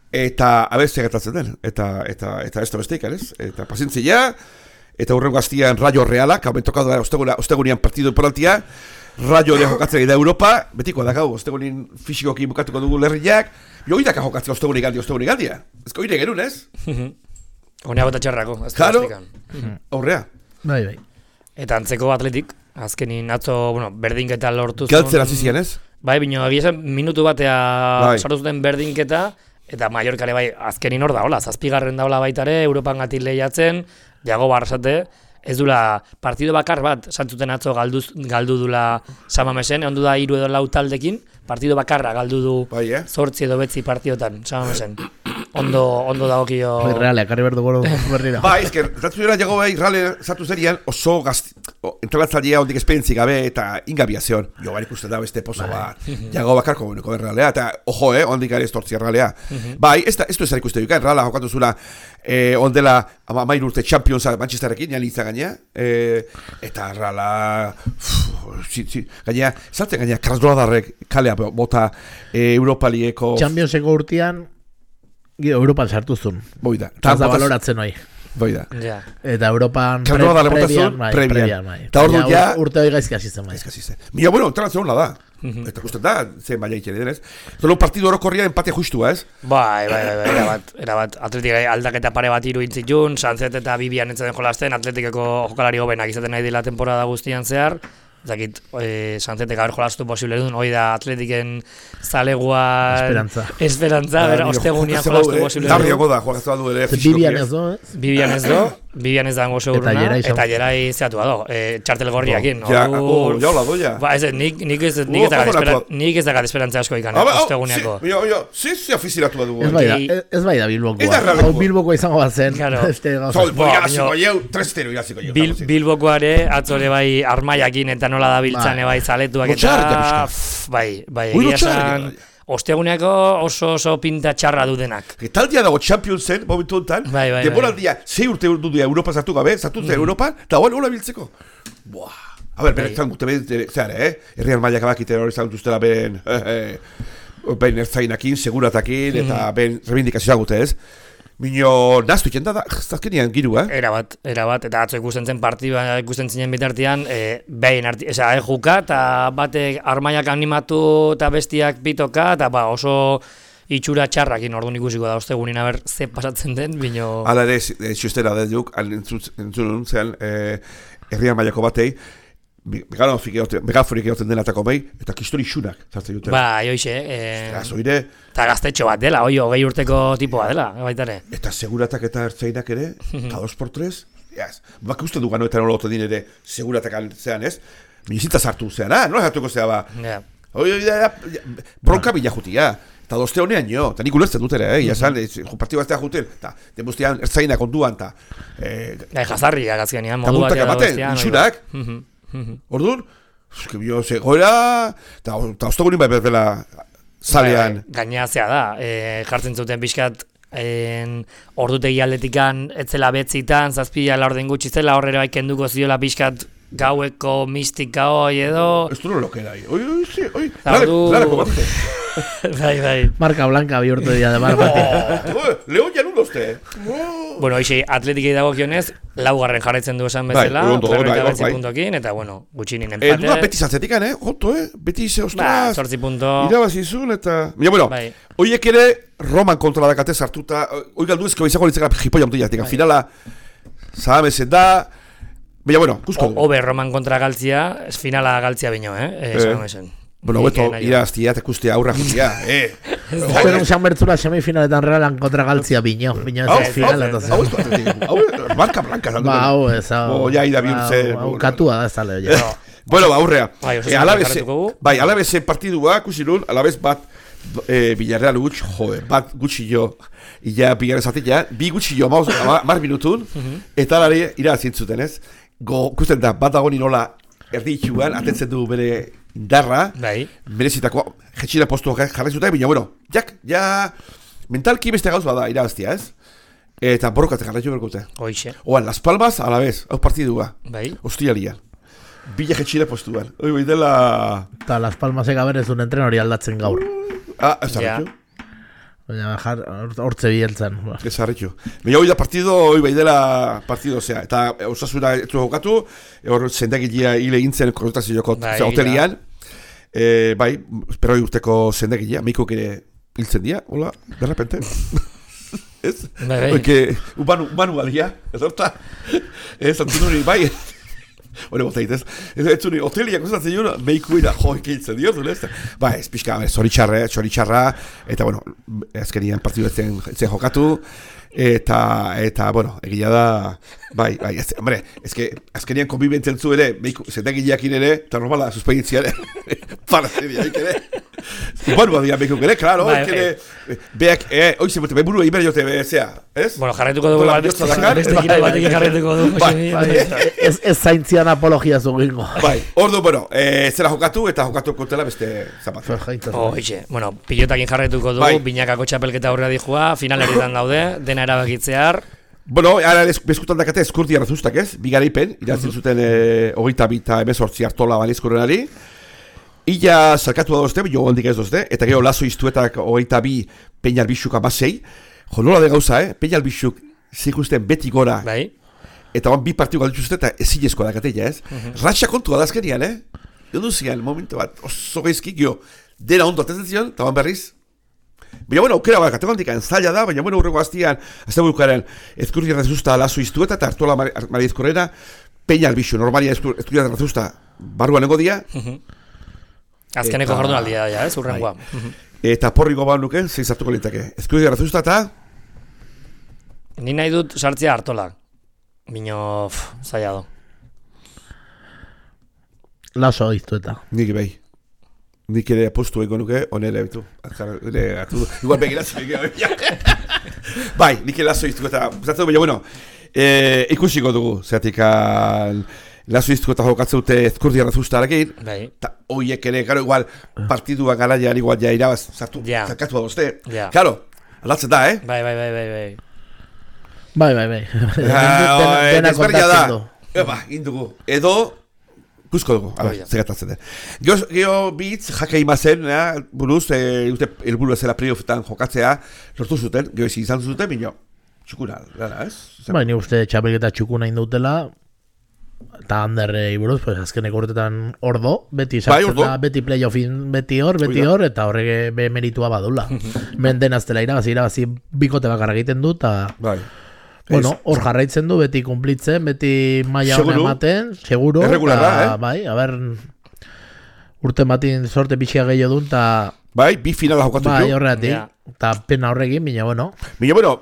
eta abestia gertatzen den, eta, eta, eta ez da besteik, ez? Eta pazientzia, eta hurrengo gaztian Rayo Realak, hau mentokatu da ostegunian partidu importantia, Rayo de jokatzen da Europa, betiko da gau, ostegunin fisikoki bukatuko dugu lerriak, jo idaka jokatzen ostegunik galdi, ostegunik galdia. Ezko ire gerun, ez? Honea gota txarrako, ez da claro, aurrea. Bai, bai. Eta antzeko Atletik, azkenin atzo, bueno, berdinketa lortu zuen. Galtzen hasi zian, ez? Bai, bino, egia minutu batea bai. Sartu zuten berdinketa, eta Mallorcare bai, azkenin hor da, hola, zazpigarren daula baitare, Europan gatik lehiatzen, jago barrasate, ez dula partido bakar bat, santzuten atzo galduz, galdu dula Samamesen, ondu da hiru edo lau taldekin, partido bakarra galdu du bai, eh? Zortzi edo betzi partiotan, Samamesen. Ondo, ondo dagokio... Bai, reale, akarri berdu goro berrira. Ba, ezker, zatu zera jago bai, reale, zatu zerian, oso gazti... Entrenatzaldia ondik esperientzi gabe eta ingabia zeon. Jo, bai, ikusten da beste pozo bat. Jago bakarko beneko realea, eta, ojo, eh, ondik gari estortzia realea. Bai, ez da, ez du ezar ikusten dukan, reala jokatu zula, eh, ondela, ama main urte Championsa Manchesterrekin, jan itza gaina, eh, eta reala... Si, si, gaina, saltzen gaina, Krasnodarrek kalea bota eh, Europa Leagueko... Championseko urtean... Europan sartuzun. Boida. Taz da baloratzen hoi. Boida. Ja. Eta Europan pre, prebian, bai, prebian, bai. Eta hor dut ja... Urte hori gaizki hasi zen, bai. Gaizki hasi zen. Mira, bueno, entrenatzen honla da. Eta gusten da, zen baina itxere denez. Zolo partidu orokorria empate justua, ez? Bai, bai, bai, bai, erabat, erabat. Atletik aldaketa pare bat iru intzitun, Sanzet eta Bibian entzaten jolasten, Atletikeko jokalari hobenak izaten nahi dela temporada guztian zehar. Zakit, eh, Sanzetek haber jolastu posible duen, hoi da Atletiken zaleguan... Esperantza. Esperantza, bera, ostegunian jolastu posible duen. Darriago da, jolaztu du ere fisikoki. Bibian ez do, ez? Bibian ez do, Bibian ez da hango seguruna, eta jerai zeatu do, eh, txartel gorriakin. Ja, oh, ja, hola doia. Ba, ez, nik, nik ez nik ez dakat esperantza asko ikan, osteguniako. Mira, mira, zi, zi afizinatu du. Ez bai da, ez bai da Bilbokoa. Hau Bilbokoa izango bat zen. Bilbokoare, atzore bai armaiakin eta nola da biltzane bai zaletuak eta bai, bai, egia esan osteguneako oso oso pinta txarra du denak. Taldia dago Championsen, momentu honetan, bai, bai, denboraldia, zei urte du dira Europa zartu gabe, zartu zen Europa, eta hola hola biltzeko. Buah. A ber, beretan gute behar, zeare, eh? Herrian mailak abakite hori zagutuztela ben, ben ertzainakin, seguratakin, eta ben rebindikazioa gute, ez? Mino, naztu iken da, azkenean giru, eh? Era bat, era bat, eta atzo ikusten zen partida ikusten zinen bitartean, e, behin arti, eza, e, juka, eta batek armaiak animatu eta bestiak pitoka, eta ba, oso itxura txarrakin orduan ikusiko da ostegunin aber ze pasatzen den, bino... Hala ere, xustera da duk, entzun zen, herrian mailako batei, megaforik egoten denatako behi, eta kistori xunak zartzen duten. Ba, joixe, e... Eta eta gaztetxo bat dela, oi, hogei urteko tipoa dela, baitare. Eta seguratak eta ertzainak ere, eta dos por tres, yes. Bak uste du ganoetan olotu din ere, seguratak zean ez, minizita sartu zean, ah, nola sartuko zea ba. Yeah. Oi, oi, bronka bila jutia. Eta dozte honean jo, eta nik ulertzen dut ere, eh, jasan, partio baztea juten, eta denbuztean ertzainak onduan, eta... Gai, jazarri, agazkenean, modu bat ematen, itxurak, orduan, bio, zegoera, eta ostogunin bai berzela zalean. Gainazea da, jartzen zuten pixkat, ordutegi aldetikan, etzela betzitan, zazpila laurden gutxi zela, horrela kenduko ziola pixkat, gaueko mistika hoi edo... Ez du no lokera, oi, oi, oi, oi, larako bate. Bai, bai. Marka blanca bihurtu dira de mar bate. Leon janun dozte. Bueno, hoxe, atletikei dago kionez, laugarren jarraitzen du esan bezala, berroita betzi puntokin, eta bueno, gutxinin empate. Duna beti zatzetikan, eh? Jonto, eh? Beti ze, ostras. Ba, sortzi punto. Irabazizun, eta... Mira, bueno, oiek ere Roman kontra dakate sartuta, oi galdu ezko izango litzeka jipoia mutilak, finala, zahamezen da... Baina, bueno, kusko du. Obe Roman kontra galtzia, ez finala galtzia bino, eh? Esan esen. Bueno, beto, iraztia, tekustia, aurra jutia, eh? Espero un San Bertzula semifinaletan realan kontra galtzia bino, bino ez final, entonces. Hau ez du, hau ez, marka blanca. Ba, hau ez, hau. Ja, ida bihurtzen. Hau katua da ez tale, oie. Bueno, ba, aurrea. Bai, alabez partidua, kusilun, alabez bat, Villarreal gutx, joder, bat gutxi jo, illa Villarreal zatik, bi gutxi jo, mar minutun, eta lari irazintzuten, ez? Go, kusten da, bat dago nola erdi itxuan, atentzen du bere indarra, merezitako jetxina postu jarri zuten, baina, bueno, jak, ja, mentalki beste gauz bada irabaztia, ez? Eta borrokatzen jarri berkute. Hoixe. Oan, Las Palmas, a la vez, hau partidua, bai. Ostialian, bila jetxina postuan. Oi, bai dela... Eta Las Palmasek aberez duen entren hori aldatzen gaur. Ah, ez zarritu. Baina, hortze bieltzen. Ez zarritu. Baina hoi da partido, hoi bai dela partido, zea. Eta osasuna etzu jokatu, hor zendegilea hile gintzen konsultazioko hotelian. E, bai, espero urteko zendegilea, meikok ere hiltzen dira, hola, de repente. Ez? Bai, bai. Oike, ubanu, ubanu balia, ez horta. Ez, antunuri, bai. Hore bota hitez. Ez zuni, hoteliak usatzen juna, meiku ira, jo, ikiltzen diotu, ez? Ba, ez pixka, zoritxarra, zoritxarra, eta, bueno, azkenian partidu etzen jokatu, eta, eta, bueno, egia da, bai, bai, ez, hombre, ezke, azkenian konbibentzen zu ere, meiku, zendagileakin ere, eta normala, suspeitzia ere, para zeriaik ere, bueno, badia meiku ere, klaro, ere, beak, eh, oize, bote, behar burua iber jote, zea, ez? Bueno, jarretuko dugu, beste kira batekin jarretuko dugu, ez zaintzian apologia zugingo. Bai, ordu, bueno, zera jokatu, eta jokatu kontela beste zapatu. Oixe, bueno, pilotakin jarretuko dugu, binakako txapelketa aurrera dijua, finaleritan daude, dena erabakitzear. Bueno, ara bezkutan dakate eskurti arrazustak ez, bigaraipen, irazten zuten hogeita bita emezortzi hartola balizkorenari. Illa zarkatu da dozte, jo hondik ez dozte, eta gero lazo iztuetak hogeita bi Peñal Bixuk amasei. Jo, nola de gauza, eh? Peñal Bixuk zikusten beti gora. Bai. Eta ban bi partidu galditu zuten, eta ezinezkoa dakatela, ez? Uh-huh. Ratxa kontua da azkenian, eh? Jondu zian, momentu bat, oso geizkik, jo, dena ondo atetzen zion, eta ban berriz. Baina, bueno, aukera bat, kategondik zaila da, baina, bueno, urrego aztian, azte burukaren, ezkurri errazusta lazo iztueta, eta hartuela Mariezkorrera, Peñal Bixu, normalia ezkurri errazusta, barruan nengo dia. Uh-huh. Azkeneko jardun aldia da, ez, urrengoa. Uh-huh. Eta porriko bau nuke, zein zartuko lintake. Ezkurri errazusta eta... Ni nahi dut sartzea hartolak. Bino, zaila do. Laso iztueta. Nik behi. Nik ere apostu ego nuke, onere bitu. Igual begiratzen egin. Bai, nik ere laso iztueta. Zatzen du, baina, bueno, e, ikusiko dugu. Zeratik, laso iztueta jokatzen dute ezkurdi errazustarekin. Bai. Eta hoiek ere, gero, igual, partidua garaian igual ja irabaz, zartu, ja. zarkatu da dozte. Ja. Claro, aldatzen da, eh? Bai, bai, bai, bai, bai. Bai, bai, bai. Dena kontatzen du. Eba, indugu. Edo, Ikusko dugu, ala, Hori da. zegatatzen den. Geho, geho bitz, jake imazen, eh, buruz, e, uste helburu ezela playoffetan jokatzea, lortu zuten, geho ezin izan zuten, bino, txukuna, gara, ez? Zer- Ba, ni uste txapelketa txukuna indutela, eta handerrei buruz, pues, azkeneko urtetan ordo, beti Bai, sartzen ordo. da, beti playoffin, beti hor, beti Hori da. hor, eta horrek be meritua badula. Menden aztela irabazi, irabazi bikote bakarra egiten du, eta... Bai. Bueno, hor jarraitzen du, beti kumplitzen, beti maila hona Seguru. ematen, seguro. Erregularra, eta, eh? Bai, a ber, urte batin sorte pitxia gehiago duen, eta Bai, bi finala jokatu bai, du. horretik, Ja. eta pena horrekin, baina, bueno, Baina, bueno,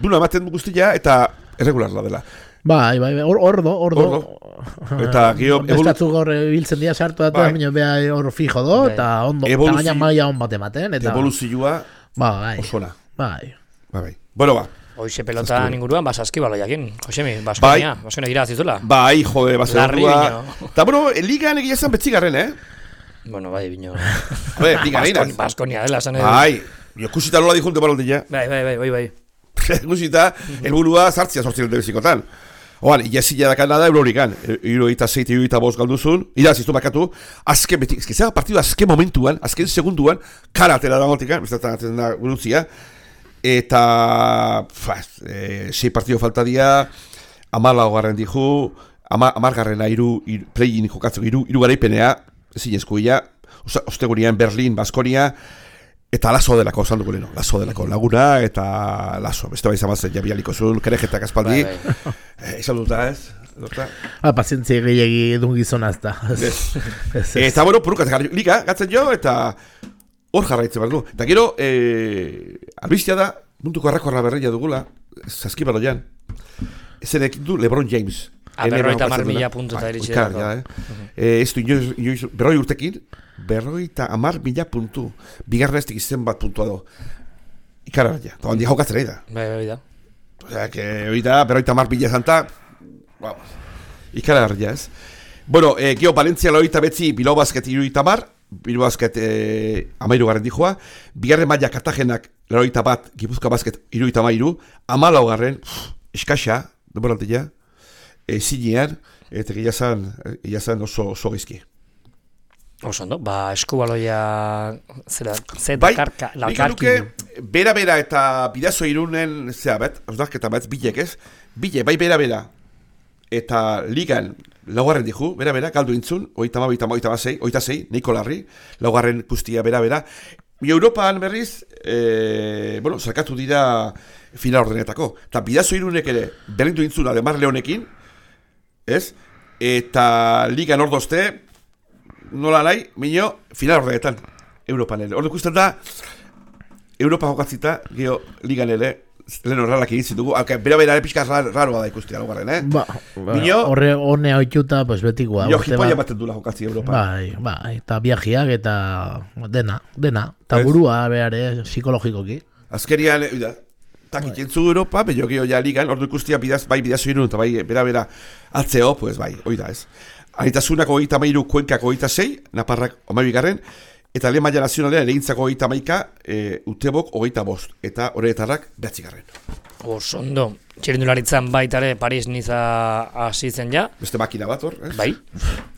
duna ematen du guztia eta erregularla dela. bai, bai, bai, hor, ordo, ordo. Eta gero, Bestatzuk hor biltzen dira sartu eta, Bai. baina beha hor fijo do, Bai. eta ondo, eta Evoluzio- gaina maila hon bat ematen, eta, evoluzioa ba, bai, osona. bai. Bai, bai. Bueno, ba. Hoxe pelota Zazpi. inguruan, ba, saskibaloiakin, Josemi, Baskonia, Baskonia gira zizula. Bai, jode, ba, Larri zerrua. bino. Eta, bueno, ligan egia zan betzigarren, eh? Bueno, bai, bino. Bai, ligan Baskon- einaz. Baskonia dela, esan edo. Bai, jo kusita nola dijunte balondilla. Bai, bai, bai, bai, bai. Kusita, helburua sartzia sortzen dute bizikotan. Oan, iazila da Kanada Euroligan, euro eta zeite, euro eta bost galduzun, iraziztu bakatu, azken beti, ezkezera partidu azken momentuan, azken segunduan, karatera da gotikan, bestatzen da guruntzia, eta, faz, e, sei partidu falta dia, amala hogarren dihu, ama, amargarrena iru, iru play-in jokatzeko iru, iru garaipenea, ezin eskuia, ostegurian Berlin, Baskonia, eta lazo delako, esan dugu leheno, lazo delako, laguna eta lazo, beste bai zamazen jabialiko zuen, kerejetak aspaldi, Bai, bai. eh, izan duta ez, duta. Ah, pazientzia gehiagi edun gizona ez da. Ez, ez. Eta bueno, purukat jarri, liga, gatzen jo, eta hor jarraitzen behar du. Eta gero, eh, albiztia da, munduko arrakorra berreia dugula, Saskibaloian, ezenek du LeBron James. Ah, berrogeita hamar mila puntu eta iritsi delako. delako. Eh? Eh, ez du, inoiz, inoiz, berroi urtekin, berrogeita hamar mila puntu. Bigarren ez izen bat puntua do. Ikara ja, eta handi jokatzen nahi da. Bai, bai, da. Osea, que hori da, berrogeita hamar mila zanta, vamos, ikara ja ez. Bueno, eh, geho Valentzia loita betzi, Bilbao Basket iruita mar, Bilbao Basket eh, amairu garren dijoa, bigarren maila Kartagenak loita bat, Gipuzkoa Basket iruita mairu, amalau garren, eskaxa, denborantila, e, zinean, eta gila zan, gila zan oso, oso gizki. Oso ondo, ba, eskubaloia, zera, zeta, Bai, karka, nik lakarki. nuke, bera-bera eta bidazo irunen, zera bet, osnarketa bet, bilek ez, bile, bai bera-bera, eta ligan, laugarren dihu, bera-bera, galdu intzun, oita ma, oita ma, oita ma, zei, oita zei, neiko larri, laugarren guztia bera-bera. Bi Europan berriz, e, bueno, zarkatu dira final ordenetako. Eta bidazo irunek ere, berrindu intzun, Ademar Leonekin, ez? Eta ligan ordozte, nola nahi, minio, final ordenetan, Europan ere. Ordu ikusten da, Europa jokatzita, geho, ligan ere, lehen horrelak egin ditugu, alka, bera-bera ere pixka raroa da ikustea, laugarren, eh? Ba, ba, Mino- horre honea oituta, pues betikoa. Jo, urte jipoia bat- baten dula jokatzi Europa. Bai, bai, eta viajiak eta dena, dena. Eta Ez. burua behar, psikologikoki. Azkerian, e, da, takit entzu Europa, bello geho ja ligan, ordu ikustia bidaz, bai bidazo irun, eta bai bera-bera atzeo, pues bai, hoi da ez. Anitasunak hogeita mairu, Kuenkak hogeita sei, Naparrak omabigarren, eta lehen maila nazionalean egintzako hogeita maika, e, Utebok hogeita bost, eta horretarrak behatzigarren. Oso ondo, txirindularitzan baitare Paris Niza hasi zen ja, Beste makina bat hor, ez? bai,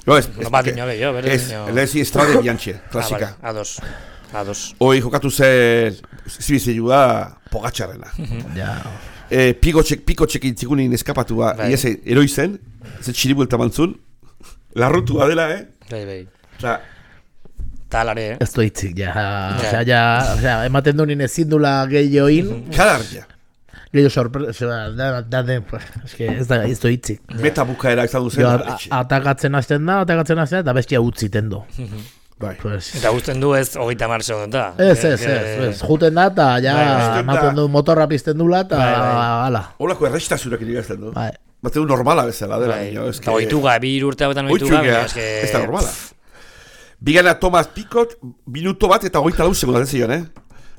No, ez, no bat dino gehiago, bere ez, dino. lehezi Estrade Bianche, klasika. Ah, vale, ados, ados. Hoi jokatu zen, zibizelua, Pogatxarrena. Ja, E, piko txek, piko txekin txikunin eskapatua, Bai. iese, eroizen, ez txiribuelta mantzun, larrutua dela, eh? Bai, bai. Eta, Talare, eh? ez du hitzik, ja. Osea, ja, osea, ematen du nien ezin dula gehioin, kalar, ja. gehiago sorpresa, da, da, da, eske ez da, ez du hitzik. Meta bukaera izan duzen. Jo, etxe. a- atakatzen hasten da, atakatzen hasten da, eta bestia utziten du. Bai. Pues, Eta guzten du ez hogeita mar segundota. ez, ez, ez, ez, juten da, eta ja, Bai, bai. ematen du motorra pizten dula, eta Bai, bai. hala. Holako errestasunak irigazten du. Bai. Batzen du normala bezala, dela, Bai, niño. eta oituga, bi urte hauetan Oitu oituga, gea, baina eske... ez da normala. Bigana Thomas Picot, minuto bat eta hogeita lau segundu zion, eh?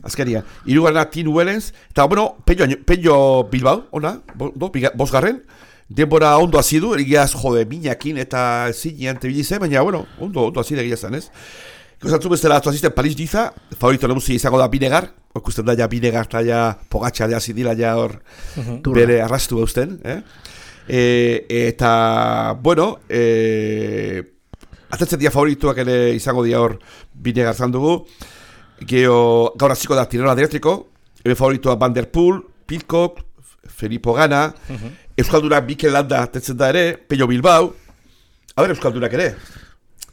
Azkarian. Hirugarrena Tin Wellens, eta, bueno, Pello, Pello Bilbao, ona, bo, do, biga, bosgarren, denbora ondo hasi du, egiaz, jode, minakin eta zinean tebilize, baina, bueno, ondo, ondo hasi da egia zen, ez? Kozatzu bestela atu azisten Paris Niza, favorito nagusi izango da Binegar, okusten da ja Binegar eta ja Pogatxa ja zidila ja hor bere arrastu gausten, eh? E, eta, bueno, e, atetzen dia favorituak ere izango dia hor bine garzan dugu. Gero, gaur hasiko da Tirreno Adriatiko, ebe favoritua Van der Poel, Pidcock, Filippo Ganna, uh-huh. Euskaldunak Mikel Landa atetzen da ere, Pello Bilbao, a ber Euskaldunak ere,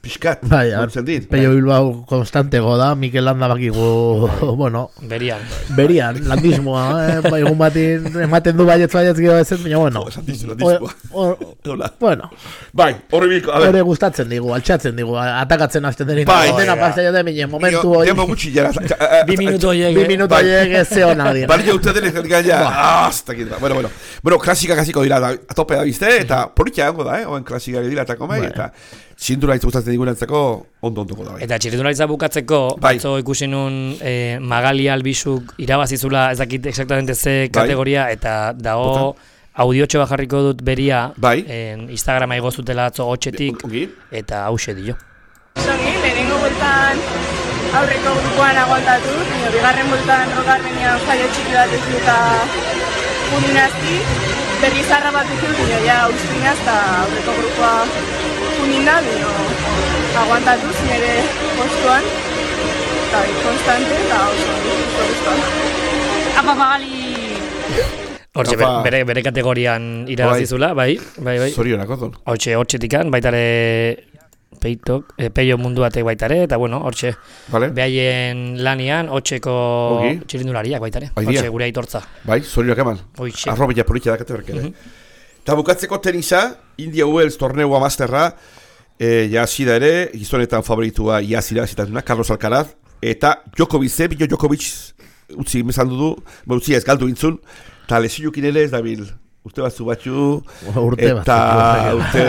pixkat, bai, dit. Pello Bilbao konstantego da, Mikel Landa bakigu, bueno, Berian. Berian, landismoa, eh? Ba, egun batin ematen du baietz baietz gero ez, baina bueno. Landismoa. Bueno. Bai, horri biko, a ber. Hore gustatzen digu, altxatzen digu, atakatzen hasten denin. Bai. Dena pastea da minen, momentu hori. Demo gutxi jara. Bi minuto horiek. Bi minuto horiek ez zeona dira. Bari uste denek ja, hasta aquí. Bueno, bueno. Bueno, klasika kasiko dira, a tope da bizte, eta politia hango da, eh? Oen klasika dira eta komei, eta txindura hitz gustatzen digurentzako ondo ondoko da. Eta txirrindularitza bukatzeko, batzo ikusi nun eh, Magali Albizuk irabazizula, ez dakit exactamente ze kategoria, eta dago audiotxo bajarriko dut beria, bai. en Instagrama igozutela atzo hotxetik, eta hause dio. Zongi, lehenengo bultan aurreko grupoan aguantatu, nio, bigarren bultan rogarrenean jaio txiki bat ez duta uninazti, berri zarra bat ez dut, nio, ja ustinaz, eta aurreko grupoa uninda, nio, aguantatu zinere postuan, eta konstante, eta oso, oso guztuan. Apa, Magali! Hortxe, bere, bere kategorian irabazizula, bai, bai, bai. Zorionak, odon. Hortxe, hortxetikan, baitare peitok, e, peio mundu batek baitare, eta bueno, hortxe, vale. Behaien lanian, hortxeko okay. Txirindulariak baitare, hortxe, gure aitortza. Bai, zorionak eman. Hoitxe. Arrobila politia dakate berkere. Uh-huh. Eta bukatzeko tenisa, India Wells torneua masterra, e, jazida ere, gizonetan favoritua jazira zitatuna, Carlos Alcaraz, eta Djokovic, Bino Djokovic, utzi mezandu du, utzi ez galdu intzun, eta lesinukin ere ez dabil, urte batzu batzu, urte eta urte...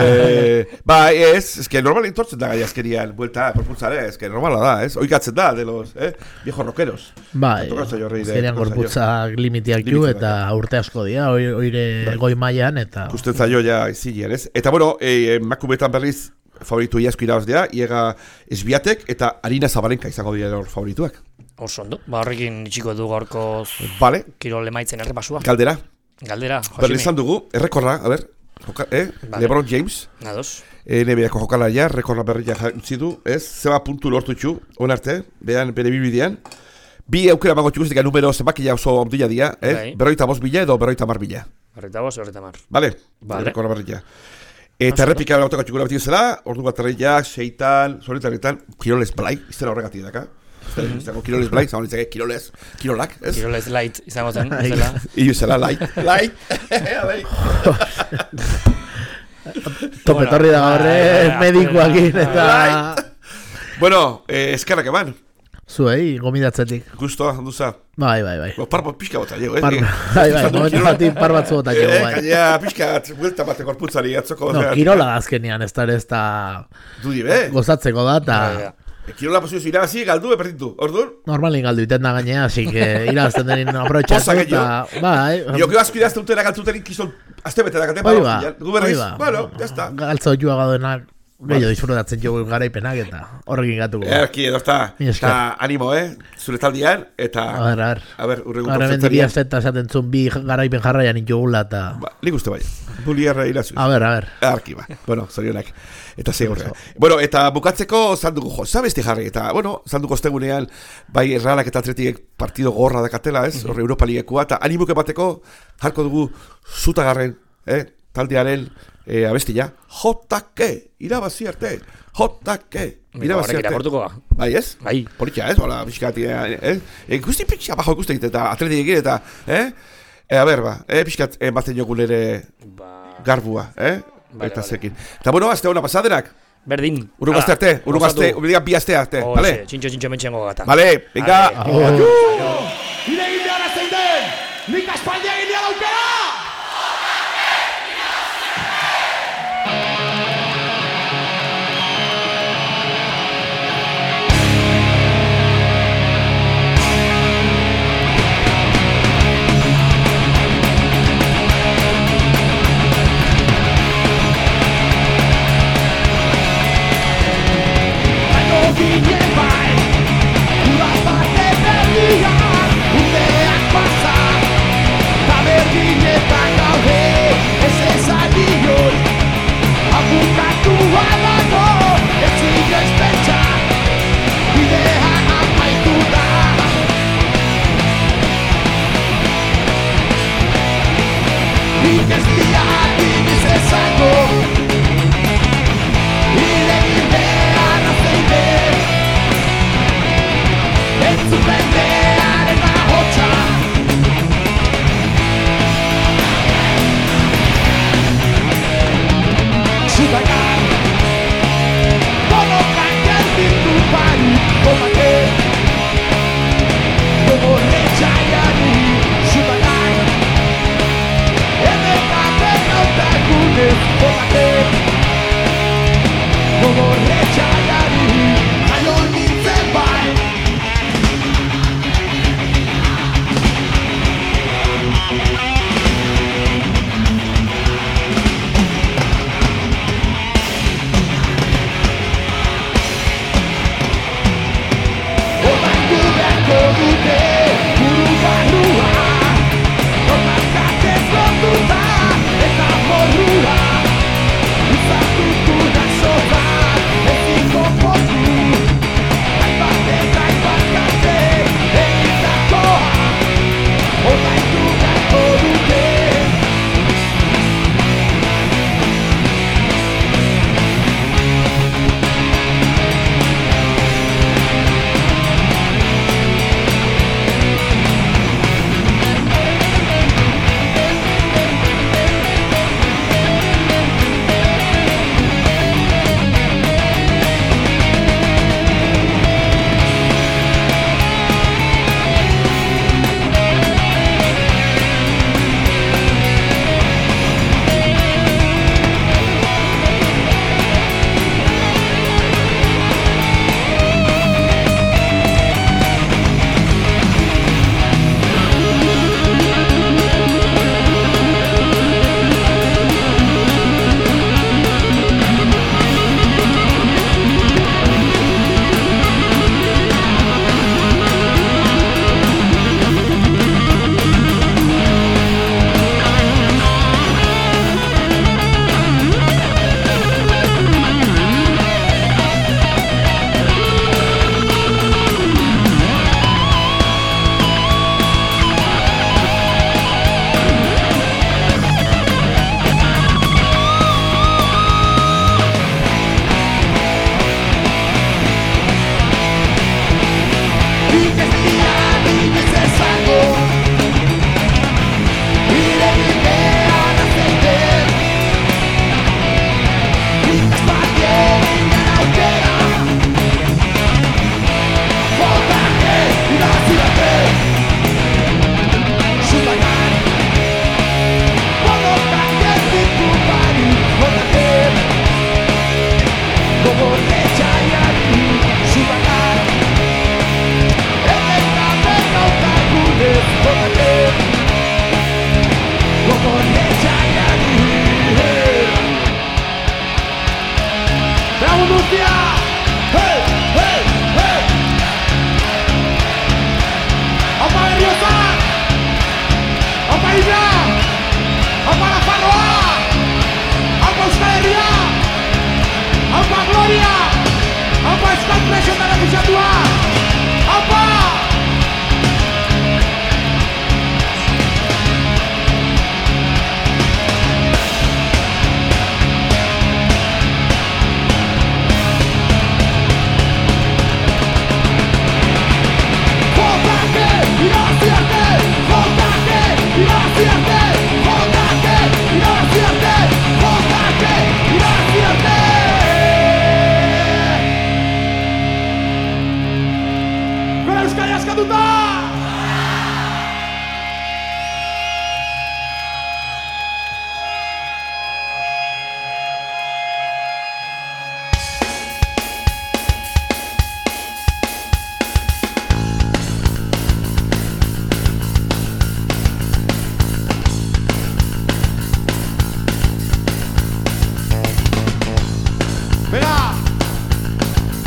Ba, ez, ez que normal entortzen da gai azkerian, buelta, propulsare, ez que normala da, ez, oikatzen da, de los, eh, viejos rockeros. Ba, azkerian gorputzak limitiak ju, eta urte asko dira, oire goi mailan, eta... Usten zailo ja izilean, ez? Eta, bueno, eh, makumetan berriz, favoritu iasko irabaz dira, iega Esbiatek eta Arina Zabalenka izango dira hor favorituak. Oso ondo, ba horrekin itxiko du gaurkoz vale. Kirol emaitzen errepasua. Galdera. Galdera, Josimi. Berri izan dugu, errekorra, a ber, joka, eh? Vale. LeBron James. Nados. E, N B A-ko jokalaria, rekorra berria jantzi du, ez? Zeba puntu lortu txu, on arte, behan, bere bibidean. Bi aukera mango txukuzik, numero zenbakia oso ondila dia, eh? Bai. Berroita bost bila edo berroita mar bila. Berroita bost, berroita mar. Vale, vale. Rekorra berria. Eta errepika gautako txukura beti zela, ordu bat erreiak, seitan, zoretan, Kiroles Blai, iztera horregatik daka. Izango Kiroles Blai, izango nintzake Kiroles, Kirolak, ez? Kiroles Light, izango zen, izela. Iu zela, Light, Light, Topetorri da horre, medikoakin, eta... Bueno, eskerrak eman. Zuei, gomidatzetik. Gustoa, handuza. Bai, bai, bai. Par bat pixka bota jo, eh? Bai, bai, momentu batin par bat zuota jo, bai. Gaina, pixka, buelta bate korputzari atzoko. No, kirola da azkenian, ez da ere ez da... Dudi, be? Gozatzeko da, eta... Kirola posizio irabazi, galdu, eperditu, orduan? Normalin galdu iten da gainea, así que irabazten denin aprobetxatu, eta... Bai... Io, que asko irazte utera galtuterin kizon, azte bete da gaten, bai ba, bai ba. Bueno, ya está. Galtzo joa gadoenak, gehiago disfrutatzen jo garaipenak, eta horrekin gatuko. Erki, edo está. Eta animo, eh? Zure taldian, eta... A ver, a ver. A ver, urrengo porfetzerian. Arremen diria zeta esaten zuen bi garaipen jarraian itxogula, eta... Ba, nik uste bai. Buliarra irazuz. A ver, a ver. Arki, ba. Bueno, zorionak. Eta segurra. Bueno, eta bukatzeko zanduko jo, zabesti jarri, eta, bueno, zanduko ostegunean, bai Realak eta Atletiek partido gorra dakatela, ez? Horre Europa Ligekua, eta animuke bateko, jarko dugu zutagarren, eh? Taldearen eh, abestia, J K, irabazi arte, J K, irabazi arte. Bai, ez? Bai. Politia, ez? Hola, pixkati, eh? Eh, guzti pixka bajo ikusten eta Atletiek eta, eh? E, a ber, ba, eh, pixkat, eh, batzen jogun ere garbua, eh? Vale, eta vale. zekin. Eta bueno, azte hona pasadenak. Berdin. Urrungo azte arte, urrungo azte, urrungo bi azte arte, vale? Txintxo, txintxo mentxengo gata. Vale, venga. Ire egin behar zein den, nik aspaldia egin behar aukera! Ginen bai, uraz bate berria Nik ez diat iniz esango Iregin behar azein den Entzuten beharen ahotsa Zutagan Bonokan gelditu barik Komate Gogorre txaiari Zutagan Edekaten autagunez Komate Gogorre txaiari Jaio nintzen bai Dute, buru barrua Normaskatzen kontuta eta morrua Uzatutu da soba, ezin konpontu Hainbat eta hainbat kate, egitakoa Ordaindu beharko dute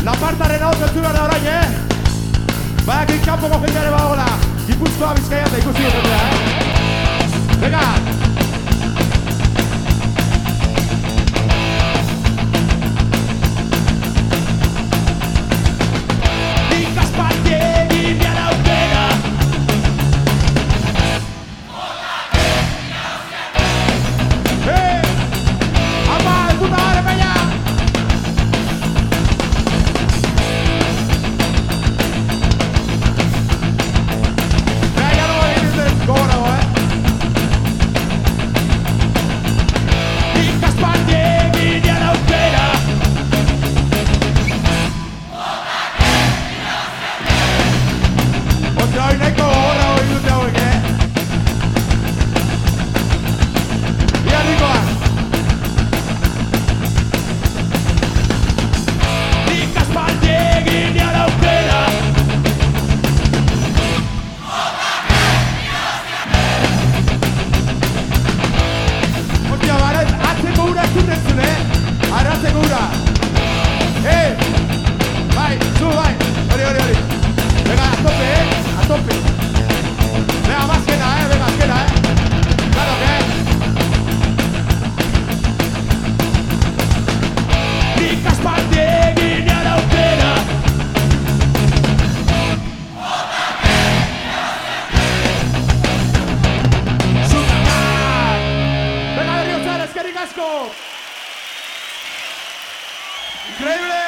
Lapartaren hau zentu behar da orain, eh? Baina kanpoko jendeare badagoela, Gipuzkoa Bizkaia eta ikusi dutetea, eh? Venga! asko! Increíble!